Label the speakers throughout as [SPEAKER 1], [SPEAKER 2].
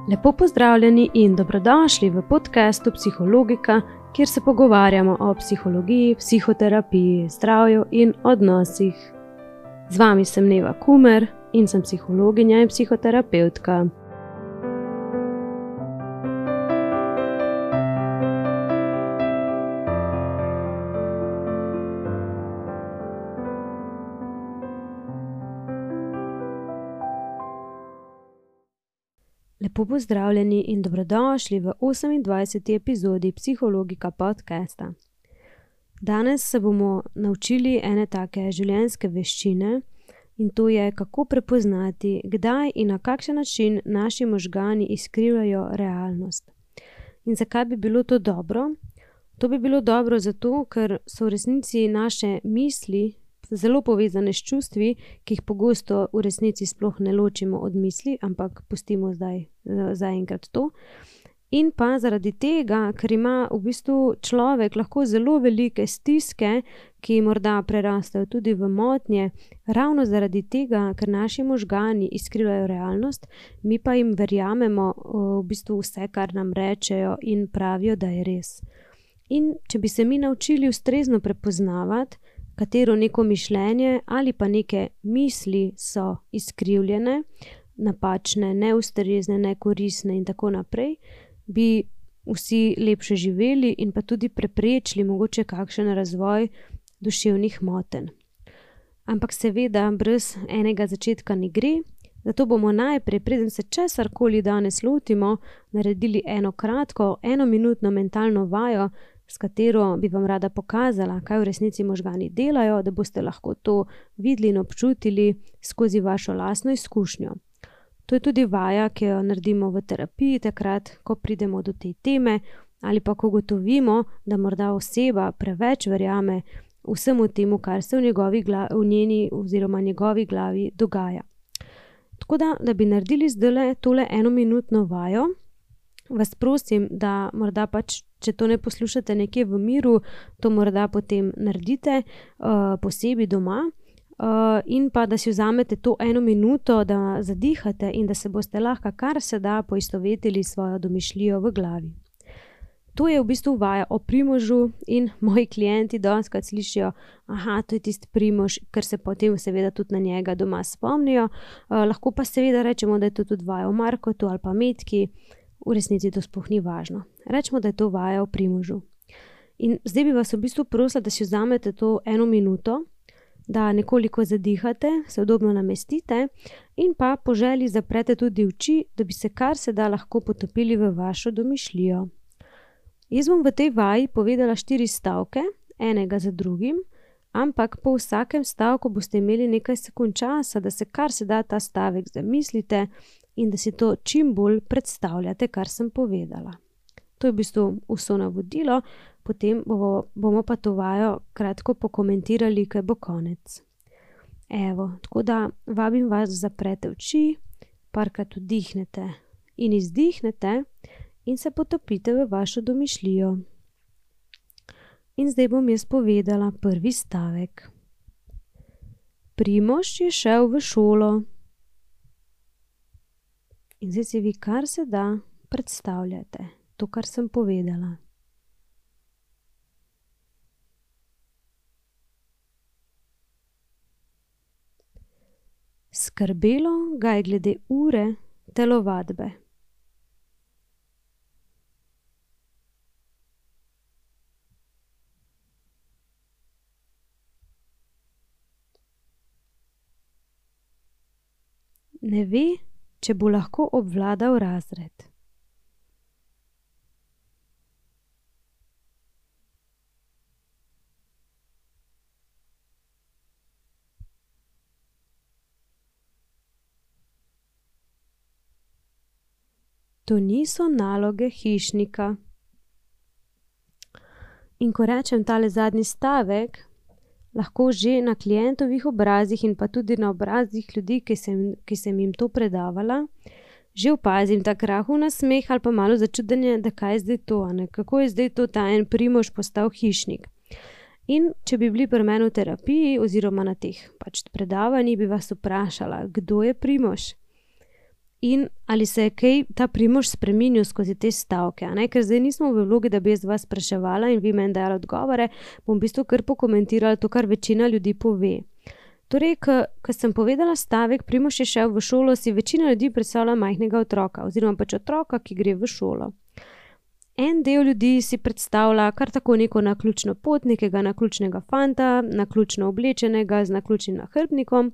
[SPEAKER 1] Lepo pozdravljeni in dobrodošli v podcastu Psihologika, kjer se pogovarjamo o psihologiji, psihoterapiji, zdravju in odnosih. Z vami sem Neva Kumer in sem psihologinja in psihoterapevtka. Lepo pozdravljeni in dobrodošli v 28. epizodi Psihologika podcasta. Danes se bomo naučili ene take življenjske veščine in to je, kako prepoznati, kdaj in na kakšen način naši možgani izkrivljajo realnost. In zakaj bi bilo to dobro? To bi bilo dobro zato, ker so v resnici naše misli zelo povezane s čustvi, ki jih pogosto v resnici sploh ne ločimo od misli, ampak pustimo zdaj zaenkrat to. In pa zaradi tega, ker ima v bistvu človek lahko zelo velike stiske, ki morda prerastejo tudi v motnje, ravno zaradi tega, ker naši možgani izkrivljajo realnost, mi pa jim verjamemo v bistvu vse, kar nam rečejo in pravijo, da je res. In če bi se mi naučili ustrezno prepoznavati, katero neko mišljenje ali pa neke misli so izkrivljene, napačne, neustrezne, nekoristne in tako naprej, bi vsi lepše živeli in pa tudi preprečili mogoče kakšen razvoj duševnih motenj. Ampak seveda brez enega začetka ne gre, zato bomo najprej, preden se česarkoli danes lotimo, naredili eno kratko, enominutno mentalno vajo, s katero bi vam rada pokazala, kaj v resnici možgani delajo, da boste lahko to videli in občutili skozi vašo lastno izkušnjo. To je tudi vaja, ki jo naredimo v terapiji takrat, ko pridemo do te teme ali pa ko gotovimo, da morda oseba preveč verjame vsemu temu, kar se v njeni oziroma njegovi glavi dogaja. Tako da bi naredili zdajle tole enominutno vajo, vas prosim, da morda pač, če to ne poslušate nekje v miru, to morda potem naredite posebej doma in pa, da si vzamete to eno minuto, da zadihate in da se boste lahko kar se da poistovetili svojo domišljijo v glavi. To je v bistvu vaja o Primožu in moji klienti dostikrat slišijo, to je tisti Primož, ker se potem seveda tudi na njega doma spomnijo. Lahko pa seveda rečemo, da je to tudi vaja o Markotu ali pa Metki. V resnici to sploh ni važno. Rečemo, da je to vaja o Primožu. In zdaj bi vas v bistvu prosila, da si vzamete to eno minuto, da nekoliko zadihate, se udobno namestite in pa po želji zaprete tudi oči, da bi se kar se da lahko potopili v vašo domišljijo. Jaz bom v tej vaji povedala 4 stavke, enega za drugim, ampak po vsakem stavku boste imeli nekaj sekund časa, da se kar se da ta stavek zamislite in da si to čim bolj predstavljate, kar sem povedala. To je v bistvu vso navodilo, potem bomo pa to vajo kratko pokomentirali, kaj bo konec. Tako da vabim vas, da zaprete oči, parkrat vdihnete in izdihnete in se potopite v vašo domišljijo. In zdaj bom jaz povedala prvi stavek. Primož je šel v šolo. In zdaj si vi kar se da predstavljate to, kar sem povedala. Skrbelo ga je glede ure telovadbe. Ne ve, če bo lahko obvladal razred. To niso naloge hišnika. In ko rečem tale zadnji stavek, lahko že na klientovih obrazih in pa tudi na obrazih ljudi, ki sem jim to predavala, že opazim tak rahel nasmeh ali pa malo začudenje, da kaj je zdaj to, kako je zdaj to ta en Primož postal hišnik. In če bi bili pri meni v terapiji oziroma na teh predavanjih, bi vas vprašala, kdo je Primož? in ali se je kaj ta Primož spreminjal skozi te stavke, a ne? Ker zdaj nismo v vlogi, da bi jaz vas spraševala in vi meni dajali odgovore, bom v bistvu kar pokomentirala to, kar večina ljudi pove. Torej, ko sem povedala stavek, Primož je šel v šolo, si večina ljudi predstavlja majhnega otroka, oziroma pač otroka, ki gre v šolo. En del ljudi si predstavlja kar tako neko naključno pot, nekega naključnega fanta, naključno oblečenega, z naključnim nahrbtnikom,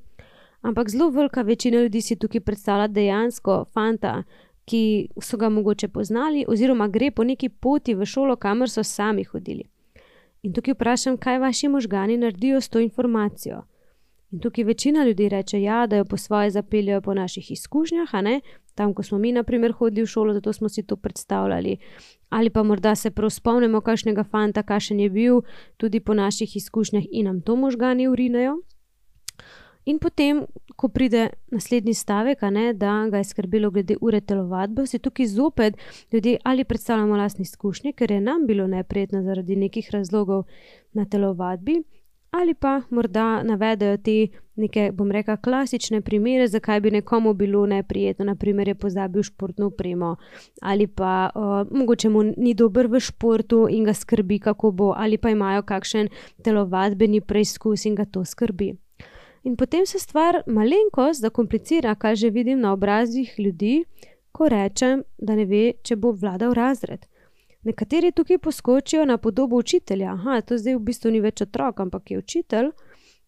[SPEAKER 1] ampak zelo velika večina ljudi si tukaj predstavlja dejansko fanta, ki so ga mogoče poznali, oziroma gre po neki poti v šolo, kamor so sami hodili. In tukaj vprašam, kaj vaši možgani naredijo s to informacijo. In tukaj večina ljudi reče, ja, da jo po svoje zapeljajo po naših izkušnjah, a ne? Tam, ko smo mi, na primer, hodili v šolo, zato smo si to predstavljali. Ali pa morda se prav spomnimo kakšnega fanta, kakšen je bil, tudi po naših izkušnjah in nam to možgani urinejo. In potem, ko pride naslednji stavek, a ne, da ga je skrbelo glede ure telovadbe, si tukaj zopet ljudje ali predstavljamo lastne izkušnje, ker je nam bilo neprijetno zaradi nekih razlogov na telovadbi, ali pa morda navedajo te neke, bom rekla, klasične primere, zakaj bi nekomu bilo neprijetno, na primer je pozabil športno opremo, ali pa mogoče mu ni dober v športu in ga skrbi, kako bo, ali pa imajo kakšen telovadbeni preizkus in ga to skrbi. In potem se stvar malenkost zakomplicira, kar že vidim na obrazih ljudi, ko rečem, da ne ve, če bo vladal razred. Nekateri tukaj poskočijo na podobo učitelja. Aha, to zdaj v bistvu ni več otrok, ampak je učitelj.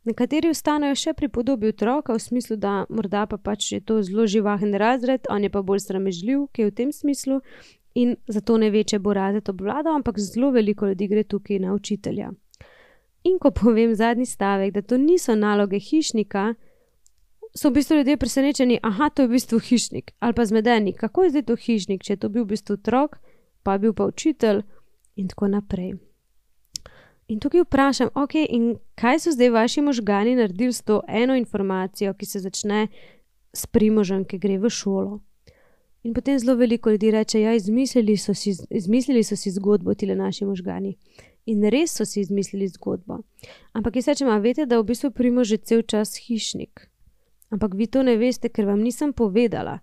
[SPEAKER 1] Nekateri ostanejo še pri podobi otroka, v smislu, da morda pa pač je to zelo živahen razred, on je pa bolj sramežljiv, ki je v tem smislu in zato ne ve, če bo razred obvladal, ampak zelo veliko ljudi gre tukaj na učitelja. In ko povem zadnji stavek, da to niso naloge hišnika, so v bistvu ljudje presenečeni, aha, to je v bistvu hišnik, ali pa zmedeni, kako je zdaj to hišnik, če je to bil v bistvu otrok, pa bil pa učitelj in tako naprej. In tukaj vprašam, ok, in kaj so zdaj vaši možgani naredili s to eno informacijo, ki se začne s Primožem, ki gre v šolo. In potem zelo veliko ljudi reče, ja, izmislili so si zgodbo tile naši možgani. In res so si izmislili zgodbo. Ampak jaz rečem, a veste, da v bistvu Primož že cel čas hišnik. Ampak vi to ne veste, ker vam nisem povedala.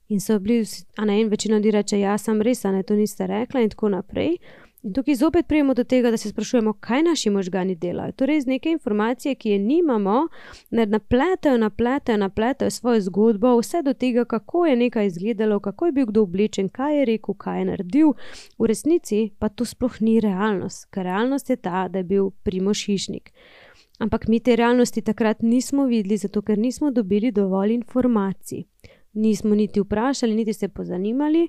[SPEAKER 1] In so bili, in večina ljudi reče, ja, sem res, to niste rekla in tako naprej. In tukaj zopet prijemo do tega, da se sprašujemo, kaj naši možgani delajo. Torej, z neke informacije, ki je nimamo, napletajo svojo zgodbo, vse do tega, kako je nekaj izgledalo, kako je bil kdo oblečen, kaj je rekel, kaj je naredil. V resnici pa to sploh ni realnost, ker realnost je ta, da je bil Primož hišnik. Ampak mi te realnosti takrat nismo videli, zato ker nismo dobili dovolj informacij. Nismo niti vprašali, niti se pozanimali,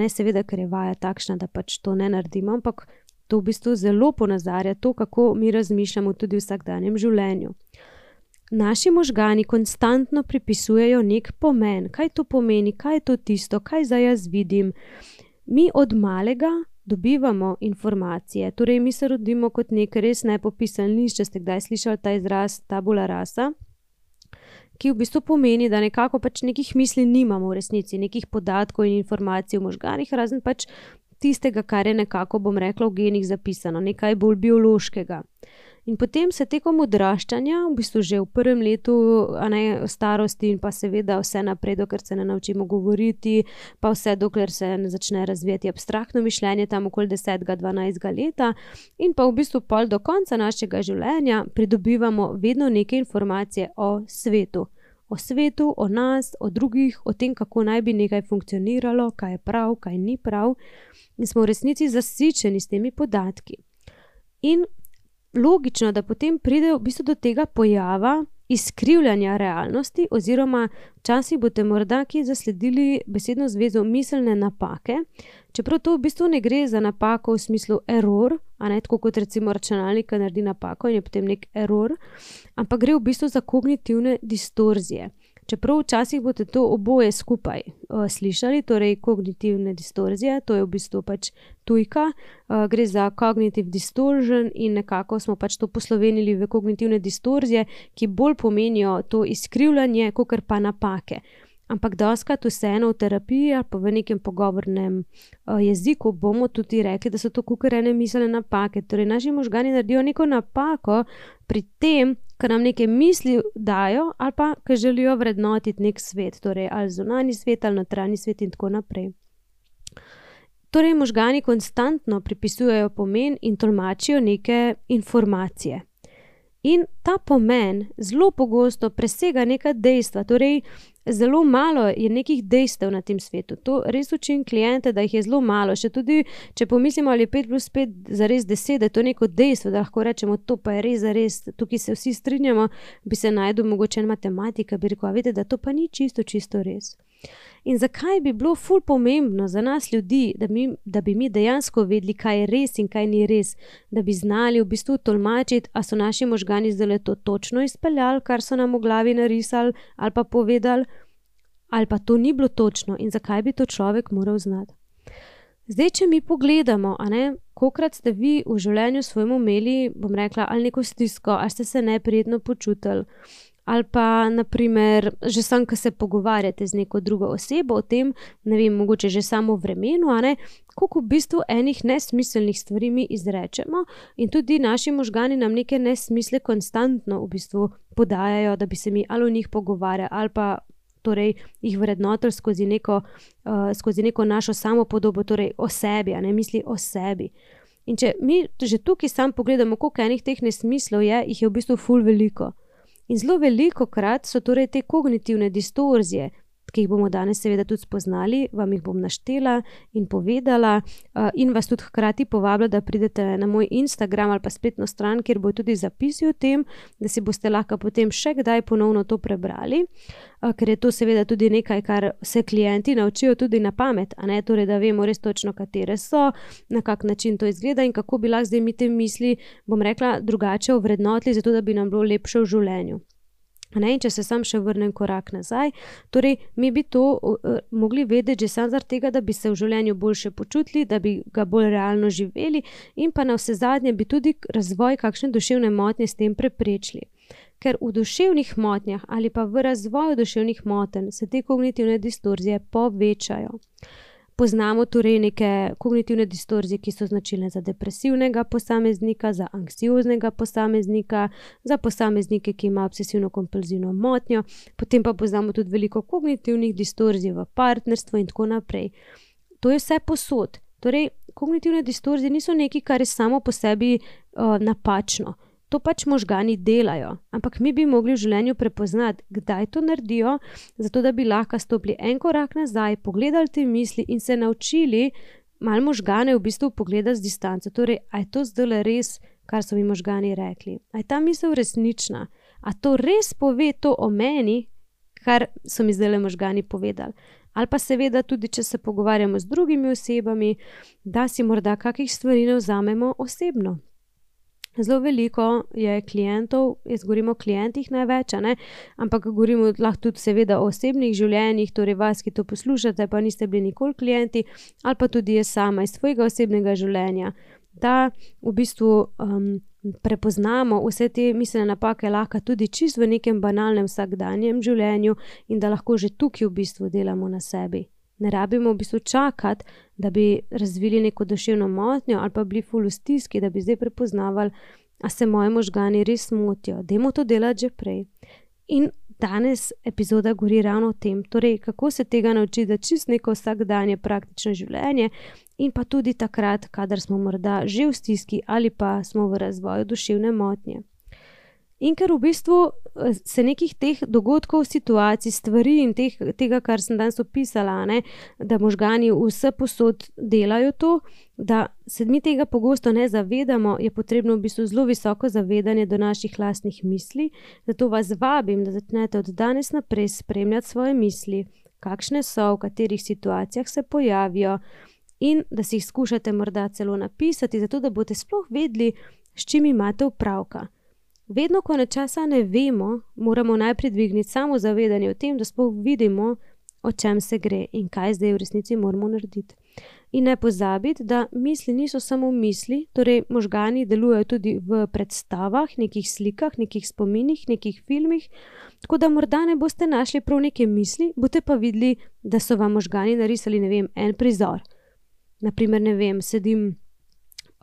[SPEAKER 1] seveda, ker je vaja takšna, da pač to ne naredimo, ampak to v bistvu zelo ponazarja to, kako mi razmišljamo tudi v vsakdanjem življenju. Naši možgani konstantno pripisujejo nek pomen. Kaj to pomeni, kaj je to tisto, kaj zdaj jaz vidim. Mi od malega dobivamo informacije, torej mi se rodimo kot nek res nepopisan list, če ste kdaj slišali ta izraz tabula rasa, ki v bistvu pomeni, da nekako pač nekih misli nimamo v resnici, nekih podatkov in informacij v možganih, razen pač tistega, kar je nekako, bom rekla, v genih zapisano, nekaj bolj biološkega. In potem se tekom odraščanja, v bistvu že v prvem letu starosti in pa seveda vse naprej, dokler se ne naučimo govoriti, pa vse dokler se ne začne razvijati abstraktno mišljenje, tam okoli 10-12 leta in pa v bistvu pol do konca našega življenja pridobivamo vedno neke informacije o svetu. O svetu, o nas, o drugih, o tem, kako naj bi nekaj funkcioniralo, kaj je prav, kaj ni prav. In smo v resnici zasičeni s temi podatki. In logično, da potem pride v bistvu do tega pojava izkrivljanja realnosti oziroma včasih boste morda kje zasledili besedno zvezo miselne napake, čeprav to v bistvu ne gre za napako v smislu error, tako kot recimo računalnik naredi napako in je potem nek error, ampak gre v bistvu za kognitivne distorzije. Čeprav včasih boste to oboje skupaj slišali, torej kognitivne distorzije, to je v bistvu pač tujka, gre za cognitive distortion in nekako smo pač to poslovenili v kognitivne distorzije, ki bolj pomenijo to izkrivljanje, kakor pa napake. Ampak dostikrat vseeno v terapiji ali pa v nekem pogovornem jeziku bomo tudi rekli, da so to kakor ene miselne napake. Torej naši možgani naredijo neko napako pri tem, ki nam neke misli dajo ali pa ki želijo vrednotiti nek svet, torej ali zunanji svet ali notranji svet in tako naprej. Torej možgani konstantno pripisujejo pomen in tolmačijo neke informacije. In ta pomen zelo pogosto presega neka dejstva, torej zelo malo je nekih dejstev na tem svetu. To res učim kliente, da jih je zelo malo. Še tudi, če pomislimo, ali je 5 plus 5 zares 10, da je to neko dejstvo, da lahko rečemo, to pa je res, tukaj se vsi strinjamo, bi se najdel mogoče en matematika, bi rekel, vidite, da to pa ni čisto res. In zakaj bi bilo ful pomembno za nas ljudi, da bi mi dejansko vedeli, kaj je res in kaj ni res, da bi znali v bistvu tolmačiti, a so naši možgani zdaj to točno izpeljali, kar so nam v glavi narisali ali pa povedali, ali pa to ni bilo točno in zakaj bi to človek moral znati. Zdaj, če mi pogledamo, kolikrat ste vi v življenju svojemu imeli, bom rekla, ali neko stisko, ali ste se neprijetno počutili, ali pa, naprimer, že sam, ko se pogovarjate z neko drugo osebo o tem, ne vem, mogoče že samo v vremenu, koliko v bistvu enih nesmiselnih stvari mi izrečemo in tudi naši možgani nam neke nesmisle konstantno v bistvu podajajo, da bi se mi ali o njih pogovarjali ali pa torej jih vrednotili skozi neko našo samopodobo, torej o sebi, misli o sebi. In če mi že tukaj sam pogledamo, koliko enih teh nesmislov je, jih je v bistvu ful veliko. In zelo velikokrat so torej te kognitivne distorzije, ki jih bomo danes seveda tudi spoznali, vam jih bom naštela in povedala in vas tudi hkrati povabila, da pridete na moj Instagram ali pa spletno stran, kjer bojo tudi zapisi o tem, da si boste lahko potem še kdaj ponovno to prebrali, ker je to seveda tudi nekaj, kar se klienti naučijo tudi na pamet, torej da vemo res točno, katere so, na kak način to izgleda in kako bi lahko zdaj mi te misli, bom rekla, drugače ovrednotili, zato da bi nam bilo lepše v življenju. In če se sam še vrnem korak nazaj, torej mi bi to mogli vedeti že samo zaradi tega, da bi se v življenju boljše počutili, da bi ga bolj realno živeli in pa na vse zadnje bi tudi razvoj kakšne duševne motnje s tem preprečili. Ker v duševnih motnjah ali pa v razvoju duševnih motenj se te kognitivne distorzije povečajo. Poznamo torej neke kognitivne distorzije, ki so značilne za depresivnega posameznika, za anksioznega posameznika, za posameznike, ki imajo obsesivno-kompulzivno motnjo, potem pa poznamo tudi veliko kognitivnih distorzij v partnerstvu in tako naprej. To je vse posod. Torej, kognitivne distorzije niso nekaj, kar je samo po sebi napačno. To pač možgani delajo, ampak mi bi mogli v življenju prepoznati, kdaj to naredijo, zato da bi lahko stopili en korak nazaj, pogledali te misli in se naučili malo možgane v bistvu pogledati z distanco. Torej, a je to zdaj res, kar so mi možgani rekli? A je ta misel resnična? A to res pove to o meni, kar so mi zdaj možgani povedali? Ali pa seveda tudi, če se pogovarjamo z drugimi osebami, da si morda kakih stvari ne vzamemo osebno. Zelo veliko je klientov, jaz govorim o klientih največ, ampak govorimo lahko tudi seveda o osebnih življenjih, torej vas, ki to poslušate, pa niste bili nikoli klienti, ali pa tudi jaz sama iz svojega osebnega življenja, da v bistvu prepoznamo vse te miselne napake lahko tudi čisto v nekem banalnem vsakdanjem življenju in da lahko že tukaj v bistvu delamo na sebi. Ne rabimo v bistvu čakati, da bi razvili neko duševno motnjo ali pa bili ful v stiski, da bi zdaj prepoznavali, a se moji možgani res motijo. Dajmo to delati že prej. In danes epizoda govori ravno o tem, torej kako se tega naučiti, da čisto neko vsakdanje praktično življenje in pa tudi takrat, kadar smo morda že v stiski ali pa smo v razvoju duševne motnje. In ker v bistvu se nekih teh dogodkov, situacij, stvari in tega, kar sem danes opisala, da možgani vse posod delajo to, da se mi tega pogosto ne zavedamo, je potrebno v bistvu zelo visoko zavedanje do naših lastnih misli, zato vas vabim, da začnete od danes naprej spremljati svoje misli, kakšne so, v katerih situacijah se pojavijo in da si jih skušate morda celo napisati, zato da boste sploh vedeli, s čim imate opravka. Vedno, ko nečesa ne vemo, moramo najprej dvigniti samo zavedanje o tem, da sploh vidimo, o čem se gre in kaj zdaj v resnici moramo narediti. In ne pozabiti, da misli niso samo misli, torej možgani delujejo tudi v predstavah, nekih slikah, nekih spominih, nekih filmih, tako da morda ne boste našli prav neke misli, boste pa videli, da so vam možgani narisali, en prizor. Naprimer, sedim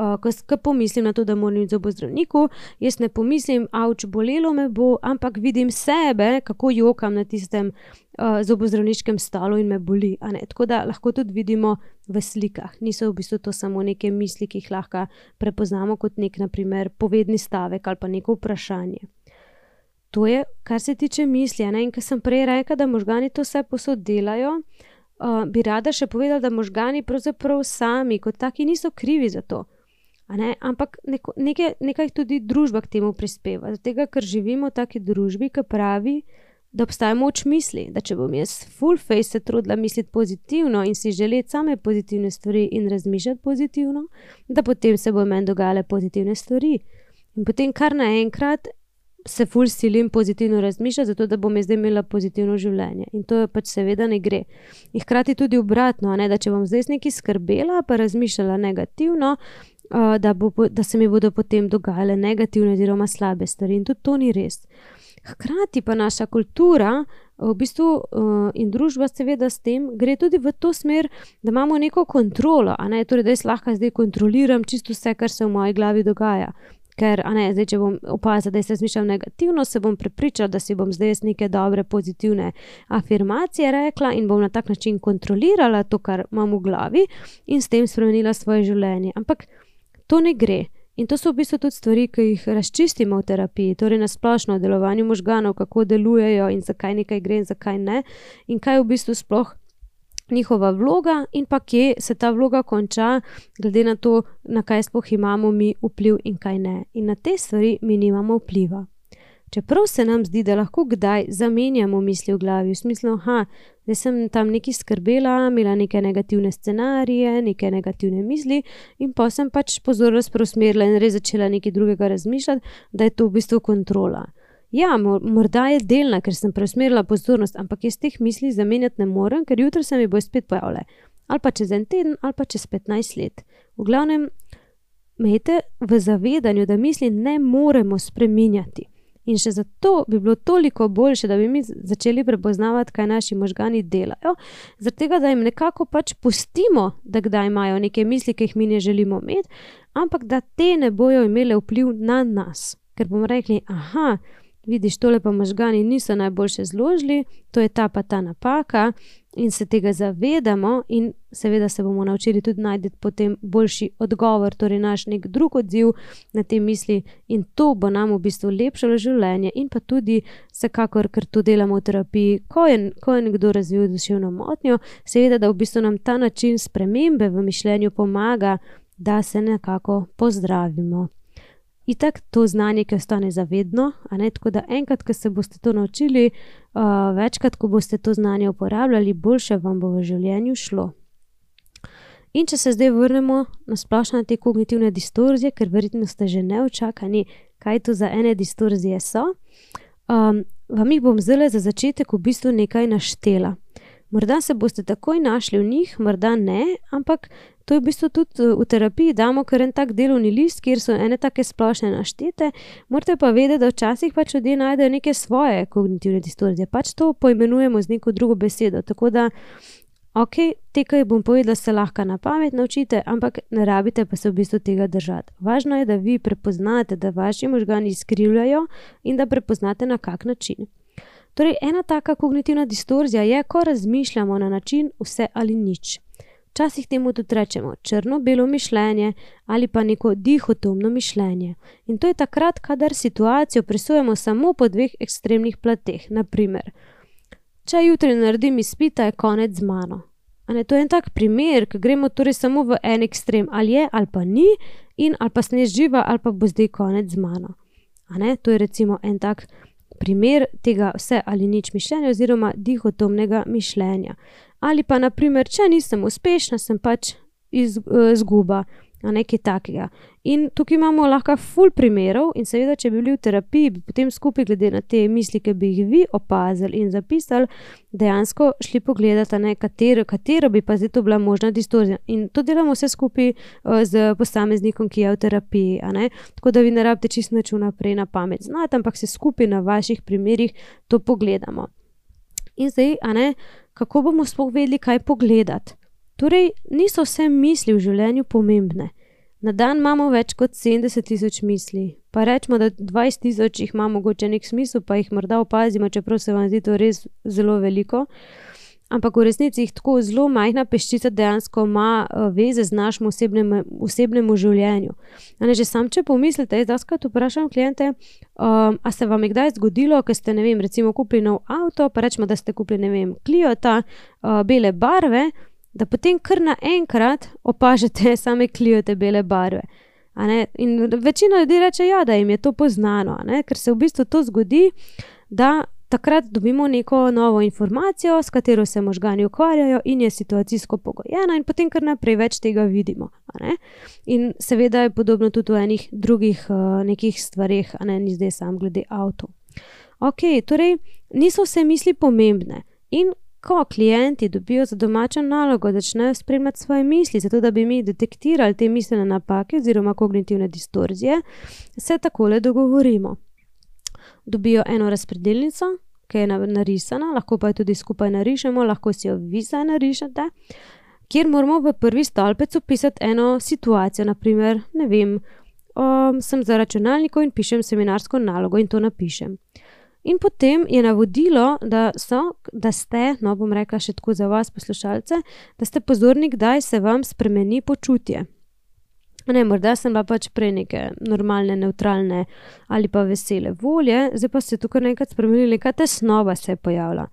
[SPEAKER 1] Ko pomislim na to, da moram iti zobozdravniku, jaz ne pomislim, avč, bolelo me bo, ampak vidim sebe, kako jokam na tistem zobozdravniškem stolu in me boli. A ne? Tako da lahko tudi vidimo v slikah. Niso v bistvu to samo neke misli, ki jih lahko prepoznamo kot nek, na primer, povedni stavek ali pa neko vprašanje. To je, kar se tiče misli. A ne? In ko sem prej rekla, da možgani to vse posod delajo, bi rada še povedala, da možgani pravzaprav sami kot taki niso krivi za to. A ne? Ampak nekaj tudi družba k temu prispeva. Zato, ker živimo v taki družbi, ki pravi, da obstaja moč misli, da če bom jaz full face se trudila misliti pozitivno in si želeti same pozitivne stvari in razmišljati pozitivno, da potem se bo meni dogajale pozitivne stvari. In potem kar naenkrat se ful silim pozitivno razmišljati, zato da bom jaz zdaj imela pozitivno življenje. In to pač seveda ne gre. In hkrati tudi obratno, ne, da če bom zdaj nekaj skrbela, pa razmišljala negativno, da se mi bodo potem dogajale negativne oziroma slabe stvari. In tudi to ni res. Hkrati pa naša kultura v bistvu in družba seveda s tem gre tudi v to smer, da imamo neko kontrolo, a ne, torej da jaz lahko zdaj kontroliram čisto vse, kar se v moji glavi dogaja. Ker, a ne, zdaj, če bom opazila, da jaz razmišljam negativno, se bom prepričala, da si bom zdaj neke dobre, pozitivne afirmacije rekla in bom na tak način kontrolirala to, kar imam v glavi in s tem spremenila svoje življenje. Ampak to ne gre. In to so v bistvu tudi stvari, ki jih razčistimo v terapiji, torej na splošno o delovanju možganov, kako delujejo in zakaj nekaj gre in zakaj ne, in kaj je v bistvu sploh njihova vloga in pa kje se ta vloga konča, glede na to, na kaj sploh imamo mi vpliv in kaj ne. In na te stvari mi nimamo vpliva. Čeprav se nam zdi, da lahko kdaj zamenjamo misli v glavi, v smislu, zdaj sem tam nekaj skrbela, imela neke negativne scenarije, neke negativne misli in pa sem pač pozornost preusmerila in res začela nekaj drugega razmišljati, da je to v bistvu kontrola. Ja, morda je delna, ker sem preusmerila pozornost, ampak jaz teh misli zamenjati ne morem, ker jutri se mi bo spet pojavile. Ali pa čez en teden, ali pa čez 15 let. V glavnem, imejte v zavedanju, da misli ne moremo spreminjati. In še zato bi bilo toliko boljše, da bi mi začeli prepoznavati, kaj naši možgani delajo, zaradi tega, da jim nekako pač pustimo, da kdaj imajo neke misli, ki jih mi ne želimo imeti, ampak da te ne bojo imele vpliv na nas. Ker bomo rekli, vidiš, tole pa možgani niso najboljše zložili, to je ta pa ta napaka in se tega zavedamo in seveda se bomo naučili tudi najti potem boljši odgovor, torej naš nek drug odziv na te misli in to bo nam v bistvu lepšalo življenje in pa tudi vsekakor, ker to delamo v terapiji, ko je nekdo razvil duševno motnjo, seveda, da v bistvu nam ta način spremembe v mišljenju pomaga, da se nekako pozdravimo. Itak to znanje, ki ostane zavedno, a ne, tako da enkrat, ko se boste to naučili, večkrat, ko boste to znanje uporabljali, boljše vam bo v življenju šlo. In če se zdaj vrnemo na splošno na te kognitivne distorzije, ker verjetno ste že neučakani, kaj to za ene distorzije so, vam jih bom zdaj za začetek v bistvu nekaj naštela. Morda se boste takoj našli v njih, morda ne, ampak to je v bistvu tudi v terapiji damo kar en tak delovni list, kjer so ene take splošne naštete, morate pa vedeti, da včasih pač ljudje najdejo neke svoje kognitivne distorzije, pač to poimenujemo z neko drugo besedo, tako da te, ki bom povedala, se lahko na pamet naučite, ampak ne rabite pa se v bistvu tega držati. Važno je, da vi prepoznate, da vaši možgani izkrivljajo in da prepoznate na kak način. Torej, ena taka kognitivna distorzija je, ko razmišljamo na način vse ali nič. Včasih temu tudi rečemo črno-belo mišljenje ali pa neko dihotomno mišljenje. In to je takrat, kadar situacijo presojamo samo po dveh ekstremnih plateh. Naprimer, če jutri naredim izpita, je konec z mano. To je en tak primer, ki gremo torej samo v en ekstrem, ali je ali pa ni, in ali pa sem jaz živa ali pa bo zdaj konec z mano. To je recimo en tak primer tega vse ali nič mišljenja oziroma dihotomnega mišljenja. Ali pa, naprimer, če nisem uspešna, sem pač izguba, nekaj takega. In tukaj imamo lahko ful primerov in seveda, če bi bili v terapiji, bi potem skupaj glede na te misli, ki bi jih vi opazili in zapisali, dejansko šli pogledati, katero bi pa zdaj to bila možna distorzija. In to delamo vse skupaj z posameznikom, ki je v terapiji, Tako da vi ne rabite čisto nič vnaprej na pamet znati, ampak se skupaj na vaših primerih to pogledamo. In zdaj, kako bomo sploh vedeli, kaj pogledati? Torej, niso vse misli v življenju pomembne. Na dan imamo več kot 70,000 misli, pa rečemo, da 20,000 jih ima mogoče nek smisel, pa jih morda opazimo, čeprav se vam zdi to res zelo veliko. Ampak v resnici jih tako zelo majhna peščica dejansko ima veze z našim osebnemu življenju. Že sam, če pomislite, jaz dostikrat vprašam kliente, a se vam je kdaj zgodilo, ko ste, recimo kupili nov avto, pa rečemo, da ste kupili, Cliota, bele barve, da potem kar naenkrat opažate same Cliote bele barve. In večina ljudi reče, ja, da jim je to poznano, ker se v bistvu to zgodi, da takrat dobimo neko novo informacijo, s katero se možgani ukvarjajo in je situacijsko pogojena in potem kar naprej več tega vidimo. In seveda je podobno tudi v enih drugih nekih stvareh, ni zdaj sam glede avtov. Torej niso vse misli pomembne in ko klienti dobijo za domačo nalogo, začnejo spremljati svoje misli, zato da bi mi detektirali te miselne napake oziroma kognitivne distorzije, se takole dogovorimo. Dobijo eno razpredelnico, ki je narisana, lahko pa jo tudi skupaj narišemo, lahko si jo vi zdaj narišete, kjer moramo v prvi stolpec opisati eno situacijo, naprimer, sem za računalnikom in pišem seminarsko nalogo in to napišem. In potem je navodilo, da ste, bom rekla še tako za vas poslušalce, da ste pozorni, kdaj se vam spremeni počutje. Morda sem bila pač prej neke normalne, nevtralne ali pa vesele volje, zdaj pa se tukaj nekaj spremenili, neka tesnoba se je pojavila.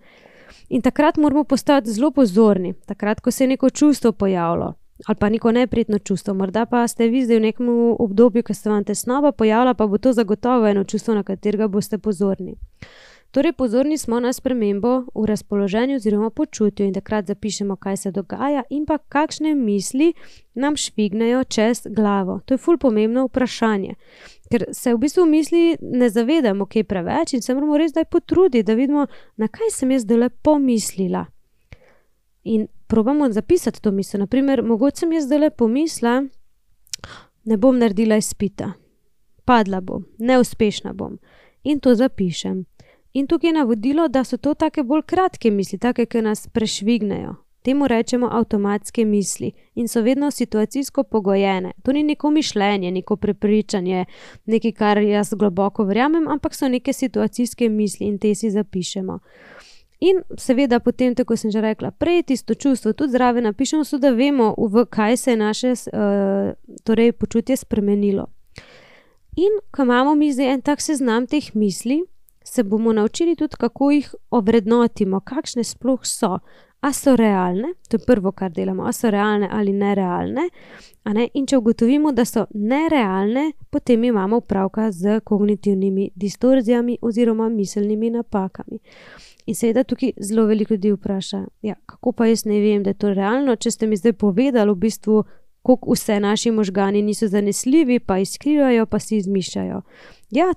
[SPEAKER 1] In takrat moramo postati zelo pozorni, takrat, ko se je neko čustvo pojavilo, ali pa neko neprijetno čustvo, morda pa ste vi zdaj v nekem obdobju, ko se vam tesnoba pojavila, pa bo to zagotovo eno čustvo, na katerega boste pozorni. Torej, pozorni smo na spremembo v razpoloženju oziroma počutju in takrat zapišemo, kaj se dogaja in pa kakšne misli nam švignejo čez glavo. To je ful pomembno vprašanje, ker se v bistvu misli ne zavedamo kaj preveč in se moramo res zdaj potruditi, da vidimo, na kaj sem jaz zdaj pomislila. In probamo zapisati to misel. Naprimer, mogoče sem jaz zdaj pomislila, ne bom naredila izpita, padla bom, neuspešna bom in to zapišem. In tukaj je navodilo, da so to take bolj kratke misli, take, ki nas prešvignejo. Temu rečemo avtomatske misli in so vedno situacijsko pogojene. To ni neko mišljenje, neko prepričanje, nekaj, kar jaz globoko verjamem, ampak so neke situacijske misli in te si zapišemo. In seveda potem, tako sem že rekla, prej tisto čustvo tudi zraven napišemo, so da vemo, v kaj se je naše počutje spremenilo. In ko imamo mi zdaj en tak seznam teh misli, se bomo naučili tudi, kako jih ovrednotimo, kakšne sploh so. A so realne, to je prvo, kar delamo, a so realne ali nerealne, in če ugotovimo, da so nerealne, potem imamo opravka z kognitivnimi distorzijami oziroma miselnimi napakami. In seveda tukaj zelo veliko ljudi vpraša, kako pa jaz ne vem, da je to realno, če ste mi zdaj povedali v bistvu, koliko vse naši možgani niso zanesljivi, pa izkrivljajo, pa si izmišljajo.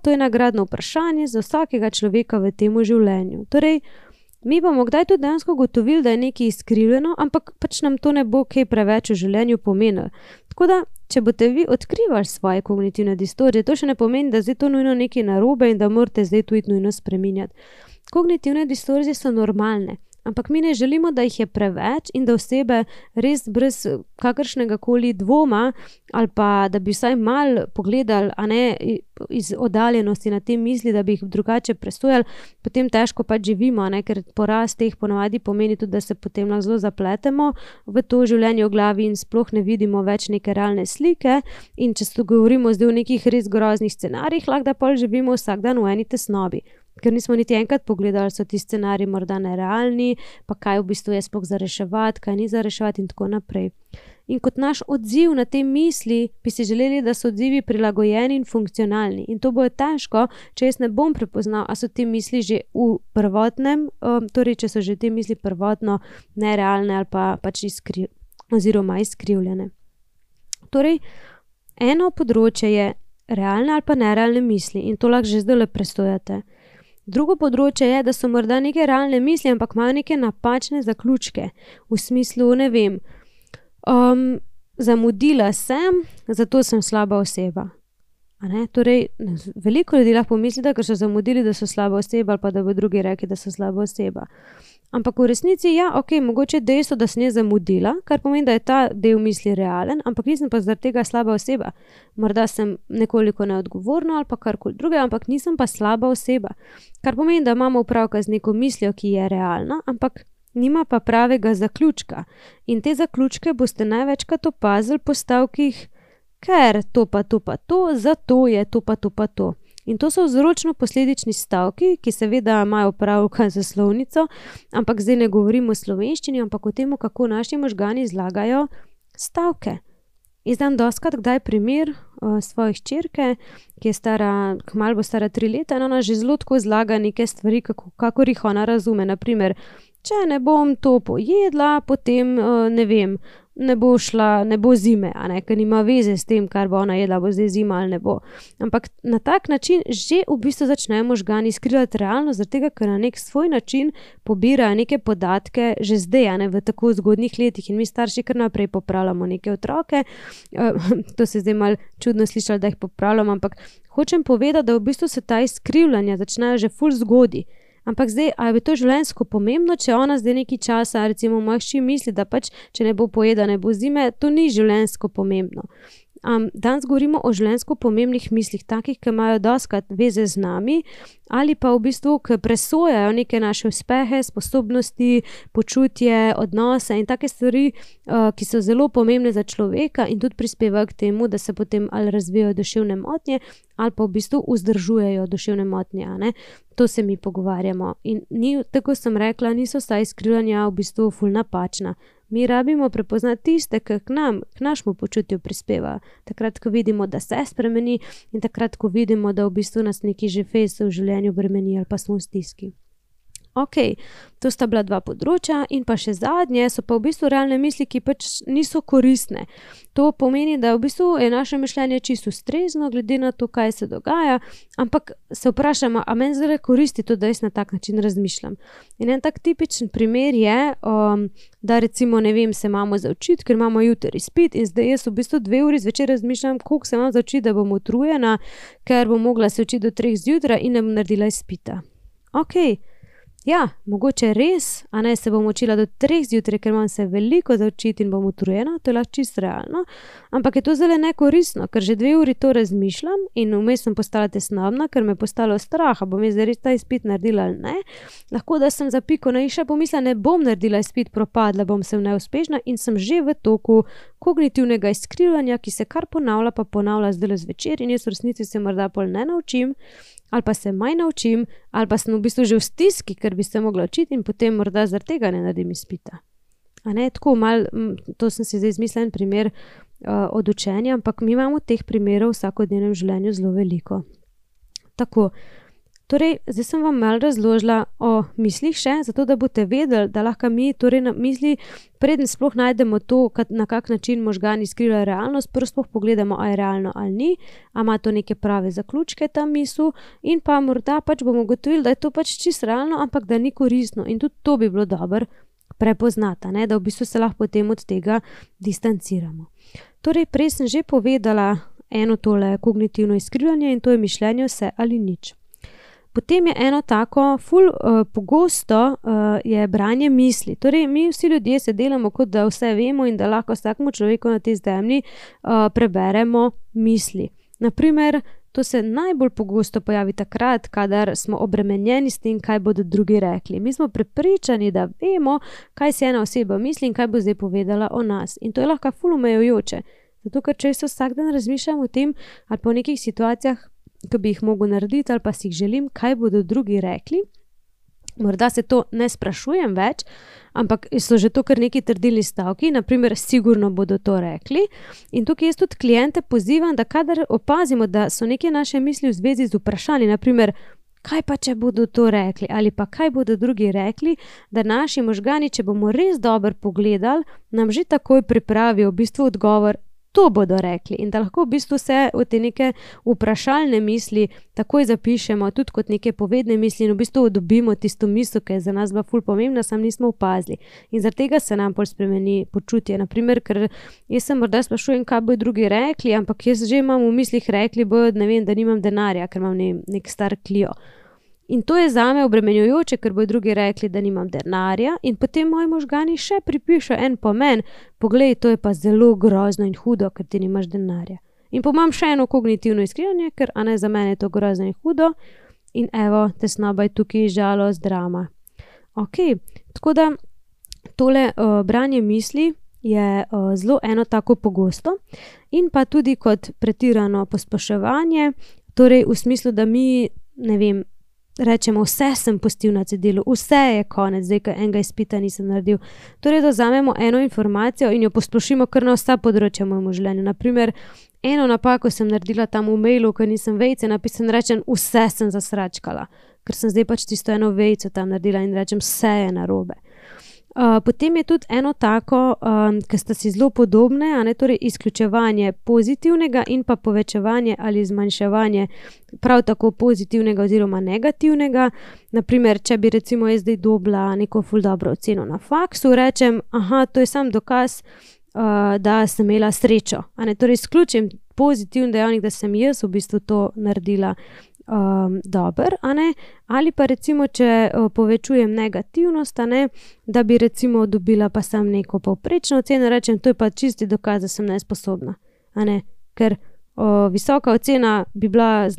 [SPEAKER 1] To je nagradno vprašanje za vsakega človeka v tem življenju. Torej, mi bomo kdaj tudi dejansko ugotovili, da je nekaj izkrivljeno, ampak pač nam to ne bo kaj preveč v življenju pomenilo. Tako da, če boste vi odkrivali svoje kognitivne distorzije, to še ne pomeni, da zdaj to nujno nekaj narobe in da morate zdaj to nujno spreminjati. Kognitivne distorzije so normalne, ampak mi ne želimo, da jih je preveč in da osebe res brez kakršnega koli dvoma ali pa da bi vsaj malo pogledali, iz oddaljenosti na te misli, da bi jih drugače presojali, potem težko pač živimo, ker porast teh ponavadi pomeni tudi, da se potem zelo zapletemo v to življenje v glavi in sploh ne vidimo več neke realne slike. In če se govorimo zdaj o nekih res groznih scenarijih, lahko da pol živimo vsak dan v eni tesnobi. Ker nismo niti enkrat pogledali, so ti scenariji morda nerealni, pa kaj v bistvu je sploh za reševati, kaj ni za reševati in tako naprej. In kot naš odziv na te misli, bi si želeli, da so odzivi prilagojeni in funkcionalni. In to bo težko, če jaz ne bom prepoznal, a so te misli že v prvotnem, torej če so že te misli prvotno nerealne ali pa pač izkrivljene. Torej, eno področje je realne ali pa nerealne misli in to lahko že zdaj presojate. Drugo področje je, da so morda neke realne misli, ampak imajo neke napačne zaključke. V smislu, zamudila sem, zato sem slaba oseba. Torej, veliko ljudi lahko pomisli, da ker so zamudili, da so slaba oseba ali pa da bo drugi rekli, da so slaba oseba. Ampak v resnici, ja, ok, mogoče dejstvo, da sem jaz zamudila, kar pomeni, da je ta del misli realen, ampak nisem pa zaradi tega slaba oseba. Morda sem nekoliko neodgovorna ali pa karkoli druge, ampak nisem pa slaba oseba. Kar pomeni, da imamo opravka z neko mislijo, ki je realna, ampak nima pa pravega zaključka. In te zaključke boste največkrat opazili po stavkih, ker to pa to pa to, zato je to pa to pa to. In to so vzročno-posledični stavki, ki seveda imajo opravka z slovnico, ampak zdaj ne govorimo o slovenščini, ampak o tem, kako naši možgani zlagajo stavke. Izdam dostikrat kdaj primer svoje hčerke, ki je stara, kmalu bo stara 3 leta, in ona že zelo tako zlaga neke stvari, kakor jih ona razume. Naprimer, če ne bom to pojedla, potem, ne vem, ne bo zime, ker nima veze s tem, kar bo ona jedla, bo zdaj zima ali ne bo. Ampak na tak način že v bistvu začnejo možgani skrivati realnost, zaradi tega, ker na nek svoj način pobirajo neke podatke že zdaj, v tako zgodnjih letih, in mi starši kar naprej popravljamo neke otroke. To se zdaj malo čudno slišalo, da jih popravljamo, ampak hočem povedati, da v bistvu se ta izkrivljanja začnejo že ful zgodaj. Ampak zdaj, ali je to življenjsko pomembno, če ona zdaj nekaj časa, recimo moja hči misli, da pač, če ne bo pojeda, ne bo zime, to ni življenjsko pomembno. Danes govorimo o življenjsko pomembnih mislih, takih, ki imajo dostikrat veze z nami, ali pa v bistvu, ki presojajo neke naše uspehe, sposobnosti, počutje, odnose in take stvari, ki so zelo pomembne za človeka in tudi prispevajo k temu, da se potem ali razvijajo duševne motnje, ali pa v bistvu vzdržujejo duševne motnje, To se mi pogovarjamo. In tako sem rekla, niso vsa izkrivljanja v bistvu ful napačna. Mi rabimo prepoznati tiste, ki k našemu počutju prispevajo. Takrat, ko vidimo, da se spremeni, in takrat, ko vidimo, da v bistvu nas neki že fejs v življenju bremeni ali pa smo v stiski. Ok, to sta bila 2 področja in pa še zadnje so pa v bistvu realne misli, ki pač niso koristne. To pomeni, da v bistvu je naše mišljenje čisto ustrezno, glede na to, kaj se dogaja, ampak se vprašamo, a meni zdaj koristi to, da jaz na tak način razmišljam. In en tak tipičen primer je, da recimo, ne vem, se imamo za učiti, ker imamo jutri izpit in zdaj jaz v bistvu 2 uri zvečer razmišljam, koliko se imam za učiti, da bom utrujena, ker bom mogla se učiti do 3 zjutraj in ne bom naredila izpita. Ok, ja, mogoče res, se bom učila do 3 zjutraj, ker imam se veliko za učiti in bom utrujena, to je lahko čisto realno, ampak je to zelo nekoristno, ker že 2 uri to razmišljam in vmes sem postala tesnobna, ker me je postalo strah, bom jaz res ta izpit naredila ali ne. Lahko, da sem za piko na i še pomislila, ne bom naredila izpit, propadla bom, sem neuspešna in sem že v toku kognitivnega izkrivljanja, ki se kar ponavlja zdaj zvečer in jaz v resnici se morda pol ne naučim, ali pa se manj naučim, ali pa sem v bistvu že v stiski, ker bi se mogla učiti in potem morda zaradi tega ne naredim izpita. Tako malo, to sem si zdaj izmislila en primer od učenja, ampak mi imamo teh primerov v vsakodnevnem življenju zelo veliko. Tako, torej, zdaj sem vam malo razložila o mislih še, zato da boste vedeli, da lahko mi torej na misli, preden sploh najdemo to, na kak način možgani skrivajo realnost, prvo sploh pogledamo, a je realno ali ni, a ima to neke prave zaključke ta misel in pa morda pač bomo ugotovili, da je to pač čisto realno, ampak da ni koristno in tudi to bi bilo dobro prepoznati, da v bistvu se lahko potem od tega distanciramo. Torej, prej sem že povedala eno tole kognitivno izkrivljanje in to je mišljenje vse ali nič. Potem je eno tako, ful pogosto je branje misli. Torej, mi vsi ljudje se delamo, kot da vse vemo in da lahko vsakemu človeku na tej zemlji preberemo misli. Naprimer, to se najbolj pogosto pojavi takrat, kadar smo obremenjeni s tem, kaj bodo drugi rekli. Mi smo prepričani, da vemo, kaj si ena oseba misli in kaj bo zdaj povedala o nas. In to je lahko ful omejujoče. Zato, ker če se vsak dan razmišljam o tem ali pa o nekih situacijah, ki bi jih mogel narediti ali pa si jih želim, kaj bodo drugi rekli. Morda se to ne sprašujem več, ampak so že to kar neki trdilni stavki, naprimer, sigurno bodo to rekli. In tukaj jaz tudi kliente pozivam, da kadar opazimo, da so neke naše misli v zvezi z vprašanji, naprimer, kaj pa če bodo to rekli ali pa kaj bodo drugi rekli, da naši možgani, če bomo res dobro pogledali, nam že takoj pripravijo v bistvu odgovor, to bodo rekli in da lahko v bistvu se v te neke vprašalne misli takoj zapišemo, tudi kot neke povedne misli in v bistvu dobimo tisto misel, ki je za nas bila ful pomembna, sam nismo opazili. In zaradi tega se nam pol spremeni počutje. Naprimer, ker jaz se morda sprašujem, kaj bodo drugi rekli, ampak jaz že imam v mislih rekli bodo, ne vem, da nimam denarja, ker imam nek star Clio. In to je zame obremenjujoče, ker bodo drugi rekli, da nimam denarja in potem moji možgani še pripišejo en pomen. Poglej, to je pa zelo grozno in hudo, ker ti nimaš denarja. In pa imam še eno kognitivno izkrivljanje, ker za mene je to grozno in hudo in evo, tesnoba je tukaj, žalost, drama. Tako da tole branje misli je zelo eno tako pogosto in pa tudi kot pretirano posploševanje, torej v smislu, da mi, ne vem, rečemo, vse sem pustil na cedilu, vse je konec, zdaj, ker enega izpita nisem naredil. Torej, da vzamemo eno informacijo in jo posplošimo kar na vsa področja v mojem življenju. Naprimer, eno napako sem naredila tam v mailu, ker nisem vejice napisala in rečem, vse sem zasračkala, ker sem zdaj pač tisto eno vejico tam naredila in rečem, vse je narobe. Potem je tudi eno tako, ki sta si zelo podobne, torej izključevanje pozitivnega in pa povečevanje ali zmanjševanje prav tako pozitivnega oziroma negativnega. Naprimer, če bi recimo jaz zdaj dobila neko ful dobro oceno na faksu, rečem, to je sam dokaz, da sem imela srečo. Torej izključim pozitivni dejavnik, da sem jaz v bistvu to naredila dober, ali pa recimo, če povečujem negativnost, da bi recimo dobila pa sam neko povprečno oceno, rečem, to je pa čisti dokaz, da sem nesposobna, ker visoka ocena bi bila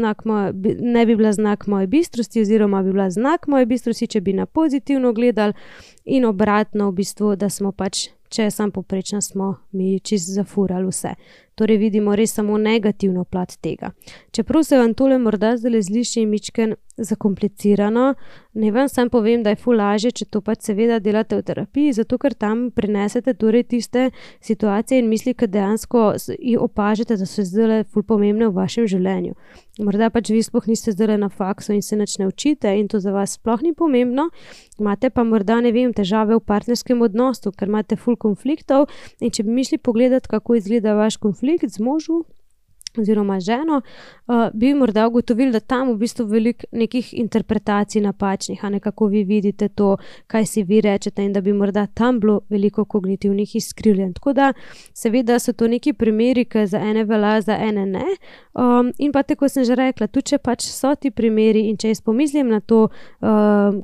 [SPEAKER 1] ne bi bila znak moje bistrosti oziroma bi bila znak moje bistrosti, če bi na pozitivno gledali in obratno v bistvu, da smo pač, če je sam povprečna, smo mi čisto zafurali vse. Torej vidimo res samo negativno plat tega. Čeprav se vam tole morda zdaj zliši mičken zakomplicirano, ne vam sam povem, da je ful lažje, če to pač seveda delate v terapiji, zato ker tam prinesete torej tiste situacije in misli, ki dejansko opažate, da so zdaj ful pomembne v vašem življenju. Morda pač vi sploh niste zdaj na faksu in se nič ne učite in to za vas sploh ni pomembno, imate pa morda, ne vem, težave v partnerskem odnosu, ker imate ful konfliktov in če bi mi šli pogledati, kako izgleda vaš konflikt z možu oziroma ženo, bi morda ugotovili, da tam v bistvu veliko nekih interpretacij napačnih, kako vi vidite to, kaj si vi rečete in da bi morda tam bilo veliko kognitivnih izkrivljenj. Tako da seveda so to neki primeri, ki za ene velja, za ene ne. In pa tako sem že rekla, tudi če pač so ti primeri in če jaz pomislim na to,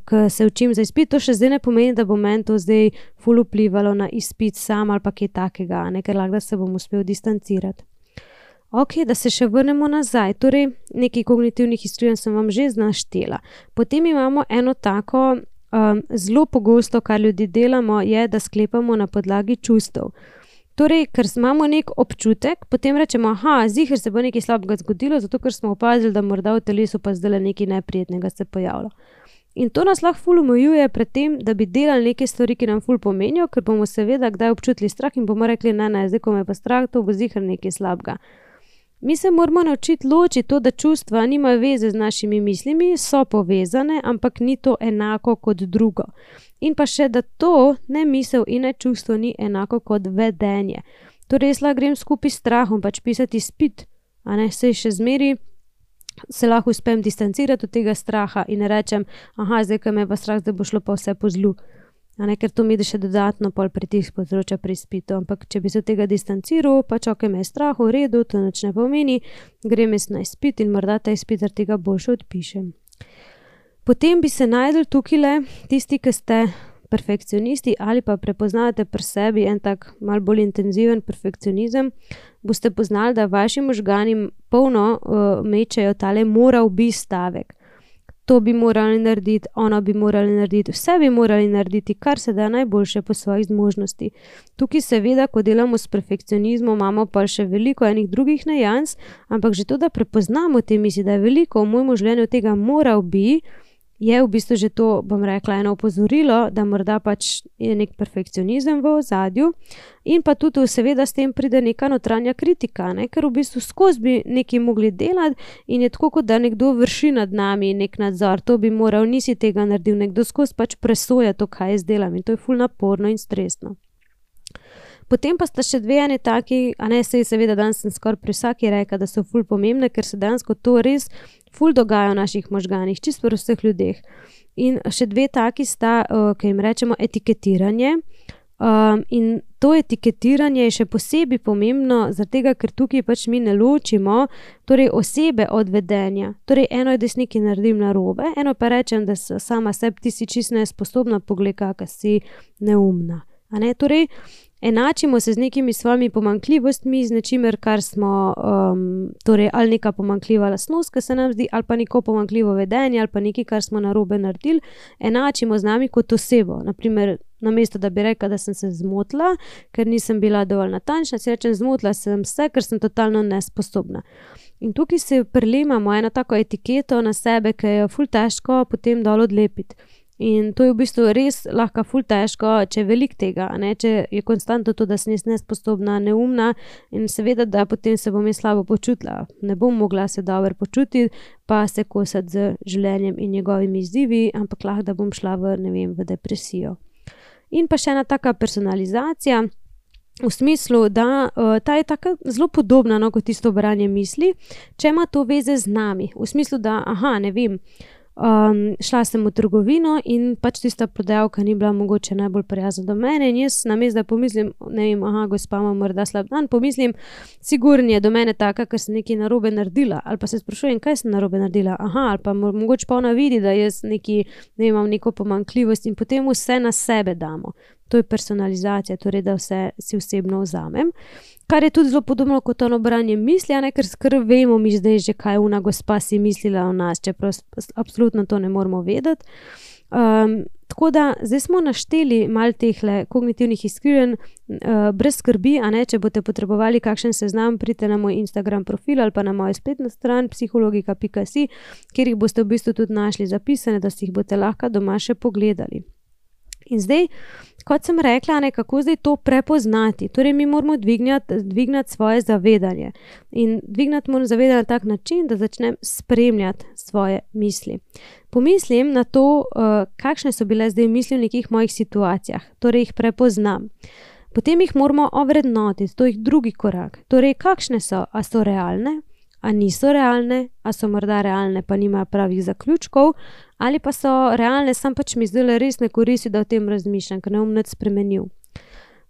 [SPEAKER 1] ko se učim za izpit, to še zdaj ne pomeni, da bo meni to zdaj ful vplivalo na izpit sam ali pa kaj takega, ker lahko da se bom uspel distancirati. Da se še vrnemo nazaj, torej nekaj kognitivnih izkrivljenj sem vam že naštela. Potem imamo eno tako zelo pogosto, kar ljudje delamo, je, da sklepamo na podlagi čustev. Torej, ker imamo nek občutek, potem rečemo, ziher se bo nekaj slabega zgodilo, zato ker smo opazili, da morda v telesu pa zdaj nekaj neprijetnega se pojavlja. In to nas lahko ful omejuje pred tem, da bi delali neke stvari, ki nam ful pomenijo, ker bomo seveda kdaj občutili strah in bomo rekli, ne, zdaj ko me pa strah, to bo ziher nekaj slabega. Mi se moramo naučiti ločiti to, da čustva nimajo veze z našimi mislimi, so povezane, ampak ni to enako kot drugo. In pa še, da to ne misel in ne čustvo ni enako kot vedenje. Torej, jaz lahko grem skupaj s strahom pač pisati izpit, saj še zmeri se lahko uspem distancirati od tega straha in rečem, zdaj, ko me pa strah, zdaj bo šlo pa vse po zlu. Ker to mi da še dodatno pol pritisk povzroča pri izpitu, ampak če bi se od tega distanciral, pač me je strah, v redu, to nič ne pomeni, grem jaz na izpit in morda ta izpit zaradi tega boljše odpišem. Potem bi se našli tukajle tisti, ki ste perfekcionisti ali pa prepoznavate pri sebi en tak malo bolj intenziven perfekcionizem, boste poznali, da vaši možgani polno mečejo tale moral bi stavek. To bi morali narediti, ono bi morali narediti, vse bi morali narediti, kar se da najboljše po svojih zmožnosti. Tukaj seveda, ko delamo s perfekcionizmom, imamo pa še veliko enih drugih nijans, ampak že to, da prepoznamo te misli, da je veliko v mojem življenju tega moral bi, je v bistvu že to, bom rekla, eno opozorilo, da morda pač je nek perfekcionizem v ozadju in pa tudi seveda s tem pride neka notranja kritika, ker v bistvu skozi bi nekaj mogli delati in je tako, kot da nekdo vrši nad nami nek nadzor, to bi moral, nisi tega naredil, nekdo skozi pač presoja to, kaj jaz delam in to je ful naporno in stresno. Potem pa sta še dve ene taki, saj seveda danes sem skoraj pri vsaki rekla, da so ful pomembne, ker se dejansko to res ful dogaja v naših možganih, čisto pri vseh ljudeh. In še dve taki sta, ki jim rečemo etiketiranje In to etiketiranje je še posebej pomembno, zaradi tega, ker tukaj pač mi ne ločimo torej osebe od vedenja. Torej eno je, da si nekaj naredim narobe, eno pa rečem, da sama sebi ti si čisto nesposobna, poglej, kakšna si neumna. A ne? Torej, enačimo se z nekimi svojimi pomanjkljivostmi, z nečimer, kar smo, torej ali neka pomanjkljiva lastnost, ki se nam zdi, ali pa neko pomanjkljivo vedenje, ali pa nekaj, kar smo narobe naredili, enačimo z nami kot osebo. Naprimer, namesto da bi rekla, da sem se zmotila, ker nisem bila dovolj natančna, si rečem, zmotila sem se, ker sem totalno nesposobna. In tukaj se prilemamo eno tako etiketo na sebe, ki je ful težko potem dol odlepiti. In to je v bistvu res lahko ful težko, če je veliko tega, ne? Če je konstantno to, da sem jaz nesposobna, neumna in seveda, da potem se bom jaz slabo počutila. Ne bom mogla se dobro počutiti, pa se kosati z življenjem in njegovimi izzivi, ampak lahko, da bom šla v depresijo. In pa še ena taka personalizacija, v smislu, da ta je taka zelo podobna, no, kot tisto branje misli, če ima to veze z nami. V smislu, da, šla sem v trgovino in pač tista prodajalka ni bila mogoče najbolj prijazna do mene in jaz namesto, da pomislim, gospa ima morda slab dan, pomislim, sigurno je do mene taka, ker sem nekaj narobe naredila, ali pa se sprašujem, kaj sem narobe naredila, ali pa mogoče pa ona vidi, da jaz imam neko pomanjkljivost in potem vse na sebe damo. To je personalizacija, torej da vse si osebno vzamem. Kar je tudi zelo podobno kot ono branje misli, ker vemo mi zdaj že, kaj ona gospa si mislila o nas, čeprav absolutno to ne moramo vedeti. Tako da zdaj smo našteli malo tehle kognitivnih izkrivanj, brez skrbi, če boste potrebovali kakšen seznam, pridite na moj Instagram profil ali pa na mojo spletno stran psihologika.si, kjer jih boste v bistvu tudi našli zapisane, da si jih boste lahko doma še pogledali. In zdaj, kot sem rekla, kako zdaj to prepoznati? Torej, mi moramo dvignati svoje zavedanje. In dvignati moram zavedanje na tak način, da začnem spremljati svoje misli. Pomislim na to, kakšne so bile zdaj misli v nekih mojih situacijah. Torej, jih prepoznam. Potem jih moramo ovrednotiti, to je drugi korak. Torej, kakšne so? A so realne? A niso realne? A so morda realne, pa nimajo pravih zaključkov? Ali pa so realne, sam pač mi zdaj res ne koristi, da o tem razmišljam, ker ne bom nič spremenil.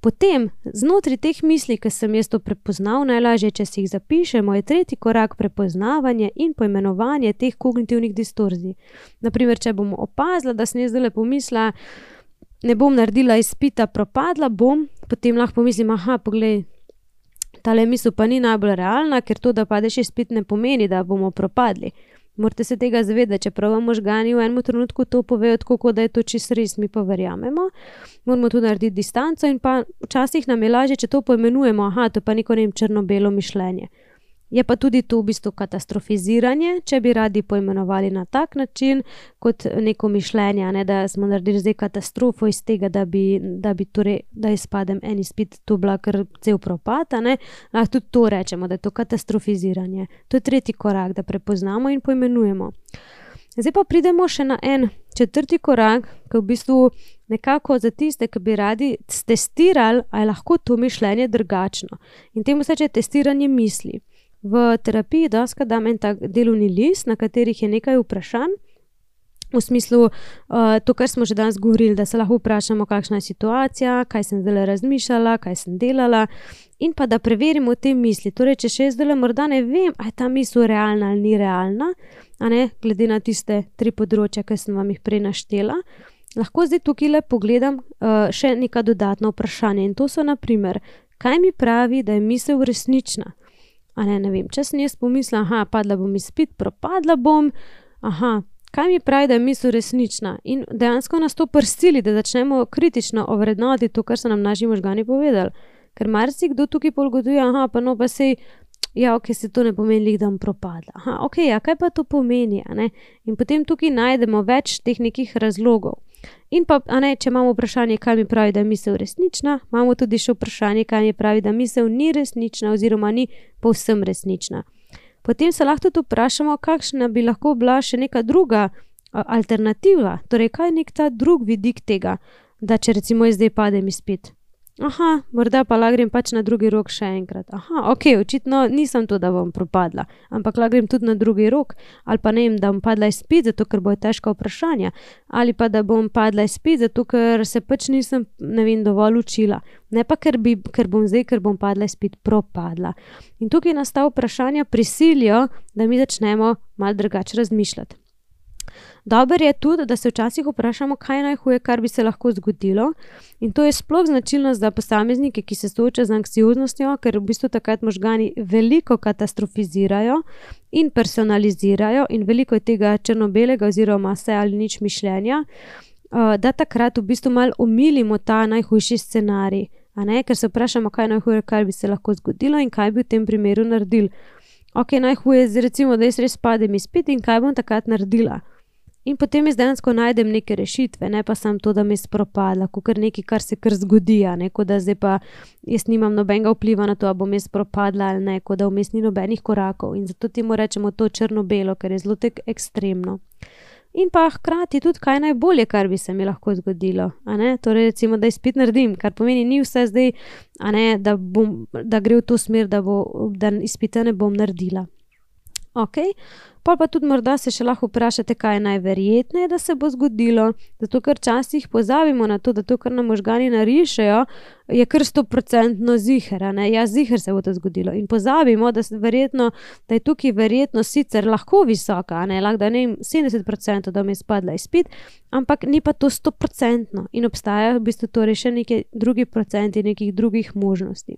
[SPEAKER 1] Potem, znotraj teh misli, ki sem jaz to prepoznal, najlažje, če si jih zapišemo, je tretji korak prepoznavanje in poimenovanje teh kognitivnih distorzij. Naprimer, če bom opazila, da sem jaz zdaj pomislila, ne bom naredila izpita, propadla bom, potem lahko pomislim, poglej, tale misel pa ni najbolj realna, ker to, da padeš izpit, ne pomeni, da bomo propadli. Morate se tega zavedati, čeprav vam možgani v enem trenutku to povejo tako, da je to čisto res, mi pa verjamemo. Moramo tu narediti distanco in pa včasih nam je lažje, če to poimenujemo, to pa neko črno-belo mišljenje. Je pa tudi to v bistvu katastrofiziranje, če bi radi poimenovali na tak način, kot neko mišljenje, da smo naredili zdaj katastrofo iz tega, da izpadem en izpit, to bila kar cel propad, lahko tudi to rečemo, da je to katastrofiziranje. To je tretji korak, da prepoznamo in poimenujemo. Zdaj pa pridemo še na en četrti korak, ki v bistvu nekako za tiste, ki bi radi testirali, a je lahko to mišljenje drugačno. In temu se reče testiranje misli. V terapiji doskrat dam en tak delovni list, na katerih je nekaj vprašanj, v smislu to, kar smo že danes govorili, da se lahko vprašamo, kakšna je situacija, kaj sem zdaj razmišljala, kaj sem delala in pa da preverimo te misli. Torej, če še zdaj morda ne vem, a je ta misel realna ali ni realna, glede na tiste 3 področja, ki sem vam jih prej naštela, lahko zdaj tukaj pogledam še neka dodatna vprašanja in to so naprimer, kaj mi pravi, da je misel resnična? Ne vem, če sem jaz pomislila, padla bom izpit, propadla bom, kaj mi pravi, da je misel resnična? In dejansko nas to prisili, da začnemo kritično ovrednotiti to, kar so nam naši možgani povedali. Ker marsikdo tukaj ugotovi, pa sej, se to ne pomeni, da bom propadla. Kaj pa to pomeni? In potem tukaj najdemo več teh nekih razlogov. In pa, če imamo vprašanje, kaj mi pravi, da je misel resnična, imamo tudi še vprašanje, kaj mi pravi, da misel ni resnična oziroma ni povsem resnična. Potem se lahko tudi vprašamo, kakšna bi lahko bila še neka druga alternativa, torej kaj je nek ta drug vidik tega, da če recimo zdaj padem izpit. Aha, morda pa lahko grem pač na drugi rok še enkrat. Aha, ok, očitno nisem to, da bom propadla, ampak lahko grem tudi na drugi rok, ali pa ne vem, da bom padla izpit, zato ker bojo težka vprašanja, ali pa da bom padla izpit, zato ker se pač nisem, ne vem, dovolj učila. Ne pa, ker bom padla izpit, propadla. In tukaj nas ta vprašanja prisilijo, da mi začnemo malo drugače razmišljati. Dobro je tudi, da se včasih vprašamo, kaj je najhuje, kar bi se lahko zgodilo, in to je sploh značilnost za posameznike, ki se soočajo z anksioznostjo, ker v bistvu takrat možgani veliko katastrofizirajo in personalizirajo in veliko je tega črno-belega oziroma vse ali nič mišljenja, da takrat v bistvu malo omilimo ta najhujši scenarij, a ne, ker se vprašamo, kaj je najhuje, kar bi se lahko zgodilo in kaj bi v tem primeru naredili. Ok, najhuje je recimo, da jaz res padem izpit in kaj bom takrat naredila. In potem jaz dejansko najdem neke rešitve, ne pa samo to, da mi je propadla, kakor nekaj, kar se kar zgodi, ne, kot da zdaj pa jaz nimam nobenega vpliva na to, a bom jaz propadla ali ne, kot da vmes ni nobenih korakov. In zato temu rečemo to črno-belo, ker je zelo tako ekstremno. In pa hkrati tudi, kaj najbolje, kar bi se mi lahko zgodilo, a ne, torej recimo, da izpit naredim, kar pomeni, ni vse zdaj, a ne, da gre v to smer, da izpita ne bom naredila. Ok, pa tudi morda se še lahko vprašate, kaj je najverjetneje, da se bo zgodilo, zato ker včasih pozabimo na to, da to, kar nam možgani narišejo, je kar 100% ziher, ne, ja, ziher se bo to zgodilo in pozabimo, da je tukaj verjetnost sicer lahko visoka, ne, lahko da ne 70%, da mi je spadla izpit, ampak ni pa to 100% in obstajajo v bistvu torej še neki drugi procenti nekih drugih možnosti.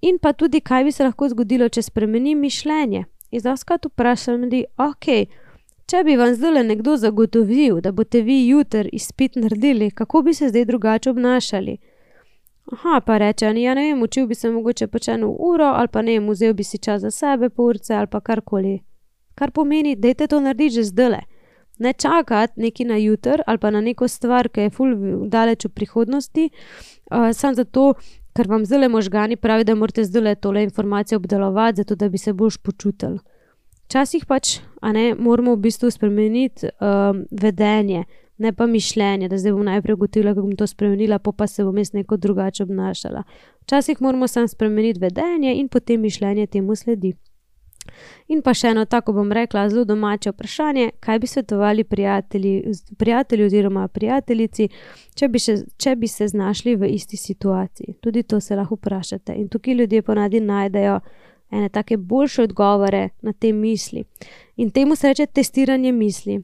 [SPEAKER 1] In pa tudi, kaj bi se lahko zgodilo, če spremenim mišljenje. In doskrat vprašam ljudi, ok, če bi vam zdajle nekdo zagotovil, da boste vi jutri izpit naredili, kako bi se zdaj drugače obnašali? Aha, pa reče, ja ne vem, učil bi se mogoče pač 1 uro, ali pa ne vem, vzel bi si čas za sebe, pol urce, ali pa karkoli. Kar pomeni, dajte to narediti že zdajle. Ne čakati neki na jutri, ali pa na neko stvar, ki je ful daleč v prihodnosti, samo zato, ker vam zdajle možgani pravi, da morate zdajle tole informacijo obdelovati, zato da bi se boljš počutili. Včasih pač, a ne, moramo v bistvu spremeniti vedenje, ne pa mišljenje, da zdaj bom najprej ugotovila, kako bom to spremenila, pa se bom jaz neko drugače obnašala. Včasih moramo samo spremeniti vedenje in potem mišljenje temu sledi. In pa še eno tako, bom rekla, zelo domače vprašanje, kaj bi svetovali prijatelji oziroma prijateljici, če bi se znašli v isti situaciji. Tudi to se lahko vprašate. In tukaj ljudje ponavadi najdejo ene take boljše odgovore na te misli. In temu se reče testiranje misli.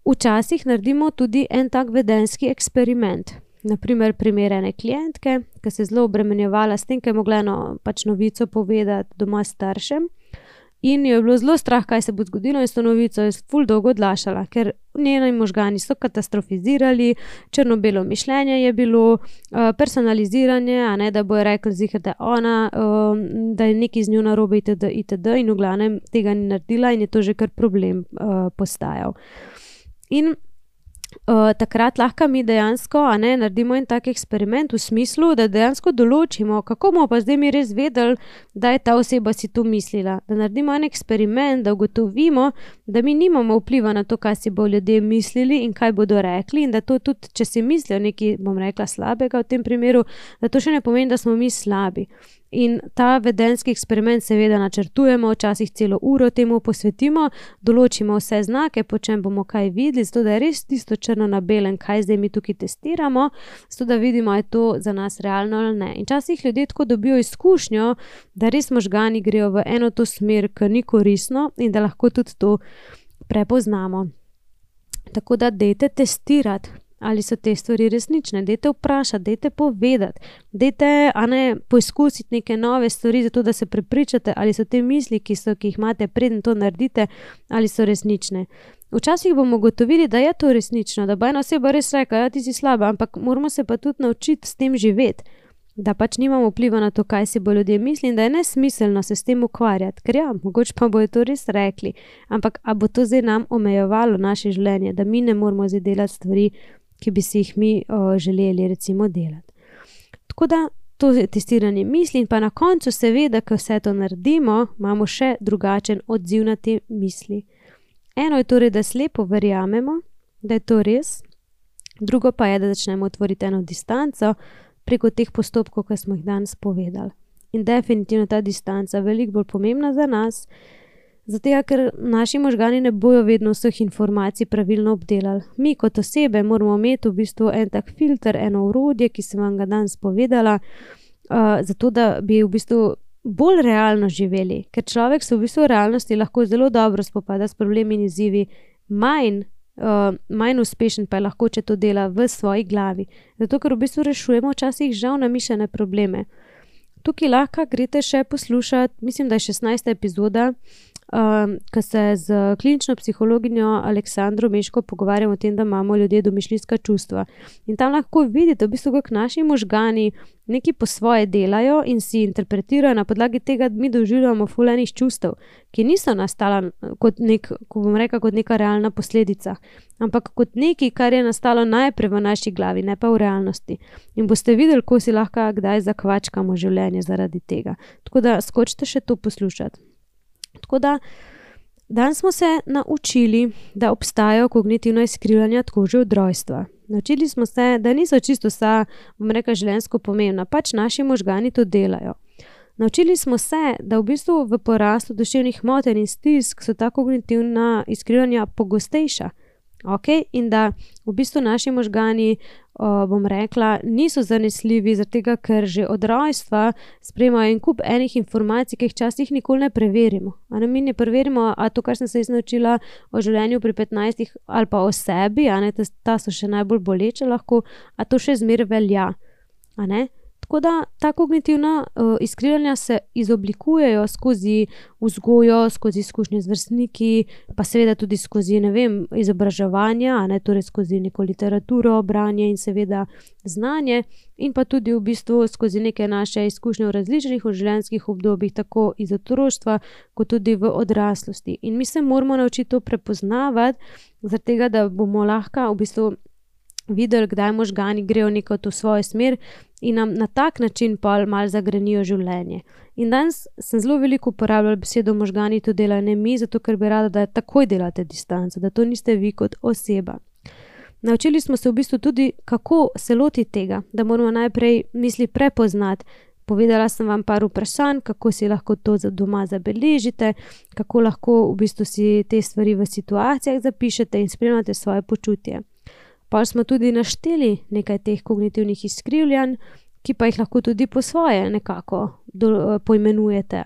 [SPEAKER 1] Včasih naredimo tudi en tak vedenjski eksperiment. Naprimer, primer ene klientke, ki se je zelo obremenjevala s tem, ker je mogla eno pač novico povedati doma staršem. In jo je bilo zelo strah, kaj se bo zgodilo, in s to novico je ful dolgo odlašala, ker njeni možgani so katastrofizirali, črno-belo mišljenje je bilo, personaliziranje, a ne, da bojo rekli ziher, da je ona, da je nekaj z njo narobe itd. In v glavnem tega ni naredila in je to že kar problem postajal. In takrat lahko mi dejansko, a ne, naredimo en tak eksperiment v smislu, da dejansko določimo, kako bomo pa zdaj mi res vedeli, da je ta oseba si to mislila. Da naredimo en eksperiment, da ugotovimo, da mi nimamo vpliva na to, kaj si bo ljudje mislili in kaj bodo rekli, in da to tudi, če si mislijo nekaj, bom rekla, slabega v tem primeru, da to še ne pomeni, da smo mi slabi. In ta vedenjski eksperiment seveda načrtujemo, včasih celo uro temu posvetimo, določimo vse znake, po čem bomo kaj videli, zato da je res tisto črno na belem, kaj zdaj mi tukaj testiramo, zato da vidimo, je to za nas realno ali ne. In včasih ljudje tako dobijo izkušnjo, da res možgani grejo v eno to smer, ki ni koristno in da lahko tudi to prepoznamo. Tako da dajte testirati, ali so te stvari resnične, dajte vprašati, dajte povedati, dajte, a ne, poizkusiti neke nove stvari, zato da se prepričate, ali so te misli, ki jih imate preden to naredite, ali so resnične. Včasih bomo ugotovili, da je to resnično, da bo ena oseba res rekla, ja, ti si slaba, ampak moramo se pa tudi naučiti s tem živeti, da pač nimamo vpliva na to, kaj si bo ljudje misli in da je nesmiselno se s tem ukvarjati, ker ja, mogoče pa bojo to res rekli, ampak a bo to zdaj nam omejevalo naše življenje, da mi ne moramo zdaj delati stvari, ki bi si jih mi želeli recimo delati. Tako da to je testiranje misli in pa na koncu seveda, ko vse to naredimo, imamo še drugačen odziv na te misli. Eno je torej, da slepo verjamemo, da je to res, drugo pa je, da začnemo tvoriti eno distanco, preko teh postopkov, ki smo jih danes povedali. In definitivno ta distanca veliko bolj pomembna za nas, zato ker naši možgani ne bojo vedno vseh informacij pravilno obdelali. Mi kot osebe moramo imeti v bistvu en tak filter, eno orodje, ki sem vam ga danes povedala, zato da bi v bistvu bolj realno živeli, ker človek se v bistvu v realnosti lahko zelo dobro spopada s problemi in izzivi, manj uspešen pa je lahko, če to dela v svoji glavi. Zato ker v bistvu rešujemo včasih žal namišljene probleme. Tukaj lahko greste še poslušati, mislim, da je 16. epizoda, ko se z klinično psihologinjo Aleksandro Meško pogovarjamo o tem, da imamo ljudje domišljijska čustva. In tam lahko vidite, v bistvu, kako naši možgani nekaj po svoje delajo in si interpretirajo na podlagi tega, da mi doživljamo ful enih čustev, ki niso nastala kot kot neka realna posledica, ampak kot nekaj, kar je nastalo najprej v naši glavi, ne pa v realnosti. In boste videli, ko si lahko kdaj zakvačkamo življenje zaradi tega. Tako da skočite še to poslušati. Tako da danes smo se naučili, da obstajajo kognitivna izkrivljanja tako že od rojstva. Naučili smo se, da niso čisto vsa, življenjsko pomembna, pač naši možgani to delajo. Naučili smo se, da v bistvu v porastu duševnih motenj in stisk so ta kognitivna izkrivljanja pogostejša. In da v bistvu naši možgani, niso zanesljivi, zaradi tega, ker že od rojstva sprejemajo en kup enih informacij, ki jih včasih nikoli ne preverimo. Mi ne preverimo, a to, kar sem se naučila o življenju pri 15 ali pa o sebi, ta so še najbolj boleče lahko, a to še zmeraj velja. Tako da ta kognitivna izkrivljanja se izoblikujejo skozi vzgojo, skozi izkušnje z vrstniki, pa seveda tudi skozi, izobraževanja, torej skozi neko literaturo, branje in seveda znanje, in pa tudi v bistvu skozi neke naše izkušnje v različnih življenjskih obdobjih, tako iz otroštva, kot tudi v odraslosti. In mi se moramo naučiti to prepoznavati, zaradi tega, da bomo lahko v bistvu videli, kdaj možgani grejo neko to svojo smer in nam na tak način pa malo zagrenijo življenje. In danes sem zelo veliko uporabljala besedo možgani to delajo, ne mi, zato ker bi rada, da takoj delate distanco, da to niste vi kot oseba. Naučili smo se v bistvu tudi, kako se lotiti tega, da moramo najprej misli prepoznati. Povedala sem vam par vprašanj, kako si lahko to doma zabeležite, kako lahko v bistvu si te stvari v situacijah zapišete in spremljate svoje počutje. Pa smo tudi našteli nekaj teh kognitivnih izkrivljanj, ki pa jih lahko tudi po svoje nekako poimenujete,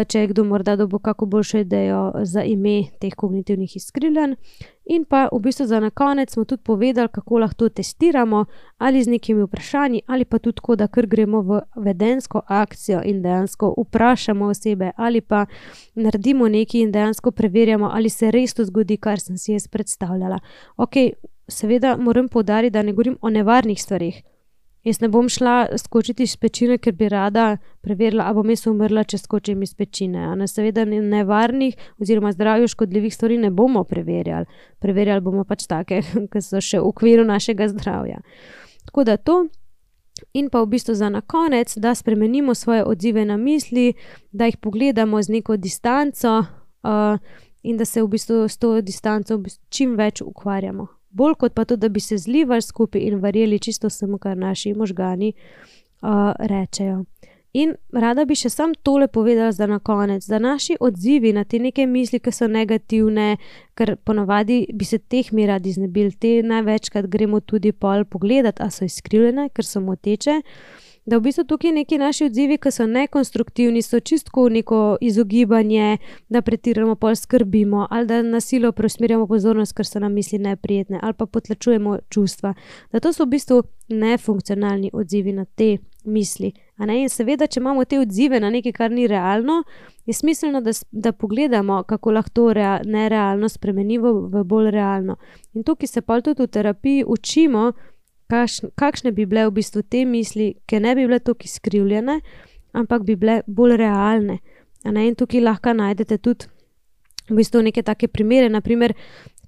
[SPEAKER 1] če je kdo morda dobil kako boljšo idejo za ime teh kognitivnih izkrivljanj. In pa v bistvu za na konec smo tudi povedali, kako lahko testiramo ali z nekimi vprašanji ali pa tudi tako, da kar gremo v vedensko akcijo in dejansko vprašamo osebe ali pa naredimo nekaj in dejansko preverjamo, ali se res to zgodi, kar sem si jaz predstavljala. Seveda moram poudariti, da ne govorim o nevarnih stvarih. Jaz ne bom šla skočiti iz pečine, ker bi rada preverila, ali bom jaz umrla, če skočim iz pečine. Seveda nevarnih oziroma zdravju škodljivih stvari ne bomo preverjali. Preverjali bomo pač take, ki so še v okviru našega zdravja. Tako da to. In pa v bistvu za na konec, da spremenimo svoje odzive na misli, da jih pogledamo z neko distanco in da se v bistvu s to distanco čim več ukvarjamo. Bolj kot pa to, da bi se zlivali skupaj in verjeli čisto vsemu, kar naši možgani rečejo. In rada bi še sam tole povedala za na konec, da naši odzivi na te neke misli, ki so negativne, ker ponavadi bi se teh mi radi znebili, te največkrat gremo tudi pol pogledati, a so izkrivljene, ker so moteče, da v bistvu tukaj neki naši odzivi, ki so nekonstruktivni, so čistko neko izogibanje, da pretiramo pol skrbimo ali da na silo preusmerjamo pozornost, ker so nam misli neprijetne ali pa potlačujemo čustva. Da to so v bistvu nefunkcionalni odzivi na te misli. In seveda, če imamo te odzive na nekaj, kar ni realno, je smiselno, da pogledamo, kako lahko to nerealno spremenimo v bolj realno. In tukaj se pol tudi v terapiji učimo, kakšne bi bile v bistvu te misli, ki ne bi bile toliko izkrivljene, ampak bi bile bolj realne. In tukaj lahko najdete tudi v bistvu neke take primere, naprimer,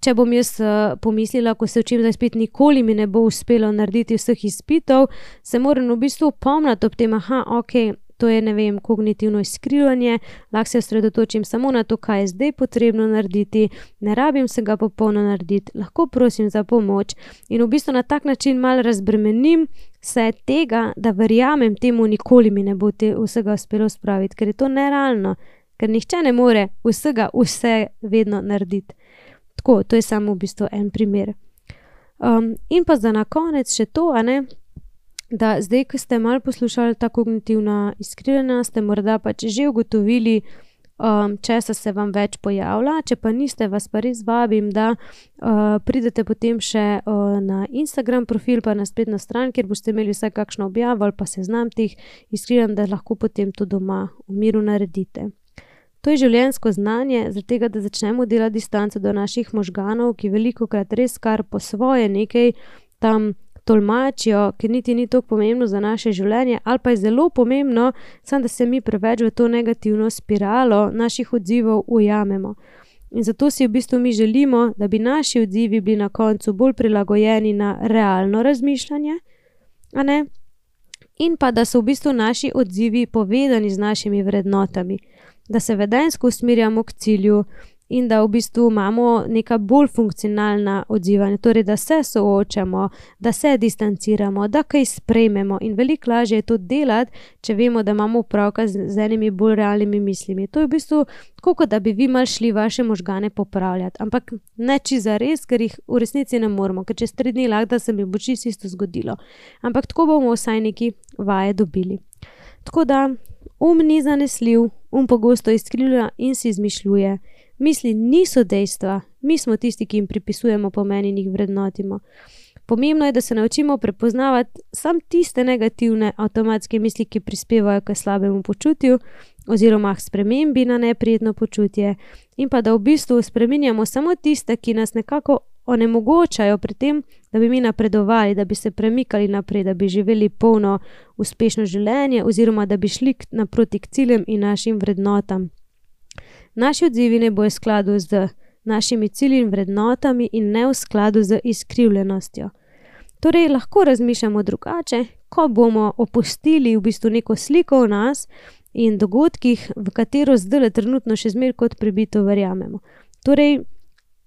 [SPEAKER 1] če bom jaz pomislila, ko se učim za izpit, nikoli mi ne bo uspelo narediti vseh izpitov, se moram v bistvu opomniti ob tem, to je, ne vem, kognitivno izkrivljanje, lahko se osredotočim samo na to, kaj je zdaj potrebno narediti, ne rabim se ga popolno narediti, lahko prosim za pomoč in v bistvu na tak način malo razbremenim se tega, da verjamem temu, nikoli mi ne bo vsega uspelo spraviti, ker je to nerealno, ker nihče ne more vsega vse vedno narediti. Tako, to je samo v bistvu en primer. In pa za na konec še to, da zdaj, ko ste malo poslušali ta kognitivna izkrivljanja, ste morda pač že ugotovili, česa se vam več pojavlja, če pa niste, vas pa res vabim, da pridete potem še na Instagram profil pa na spletno stran, kjer boste imeli vsaj kakšno objavo ali pa seznam teh izkrivljanj, da lahko potem to doma v miru naredite. To je življenjsko znanje, zaradi tega, da začnemo delati distanco do naših možganov, ki velikokrat res kar po svoje nekaj tam tolmačijo, ker niti ni toliko pomembno za naše življenje, ali pa je zelo pomembno, samo da se mi preveč v to negativno spiralo naših odzivov ujamemo. In zato si v bistvu mi želimo, da bi naši odzivi bili na koncu bolj prilagojeni na realno razmišljanje, in pa da so v bistvu naši odzivi povezani z našimi vrednotami, da se vedenjsko usmerjamo k cilju in da v bistvu imamo neka bolj funkcionalna odzivanja, torej da se soočamo, da se distanciramo, da kaj sprejmemo in veliko lažje je to delati, če vemo, da imamo opravka z enimi bolj realnimi mislimi. To je v bistvu tako, kot da bi vi malo šli vaše možgane popravljati, ampak ne čisto zares, ker jih v resnici ne moremo, ker čez 3 dni lahko, da se mi bo čisto isto zgodilo. Ampak tako bomo vsaj neki vaje dobili. Tako da, ni zanesljiv, pogosto izkrivlja in si izmišljuje. Misli niso dejstva, mi smo tisti, ki jim pripisujemo pomen in jih vrednotimo. Pomembno je, da se naučimo prepoznavati samo tiste negativne avtomatske misli, ki prispevajo k slabemu počutju oziroma k spremembi na neprijetno počutje in pa da v bistvu spreminjamo samo tiste, ki nas nekako onemogočajo pri tem, da bi mi napredovali, da bi se premikali naprej, da bi živeli polno uspešno življenje oziroma da bi šli naproti k ciljem in našim vrednotam. Naši odzivi ne bojo v skladu z našimi cilji in vrednotami in ne v skladu z izkrivljenostjo. Torej, lahko razmišljamo drugače, ko bomo opustili v bistvu neko sliko o nas in dogodkih, v katero zdaj trenutno še zmeraj kot prebito verjamemo. Torej,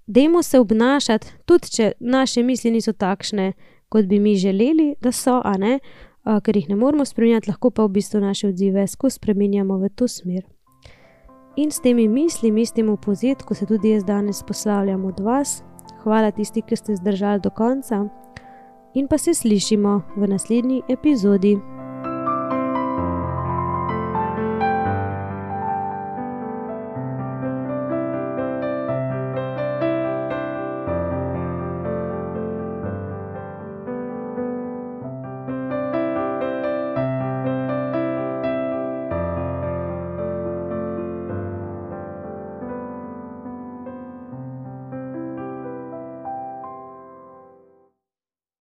[SPEAKER 1] dajmo se obnašati, tudi če naše misli niso takšne, kot bi mi želeli, da so, ker jih ne moremo spreminjati, lahko pa v bistvu naše odzive skozi spreminjamo v to smer. In s temi mislimi, s tem v povzetku se tudi jaz danes poslavljam od vas. Hvala tisti, ki ste zdržali do konca in pa se slišimo v naslednji epizodi.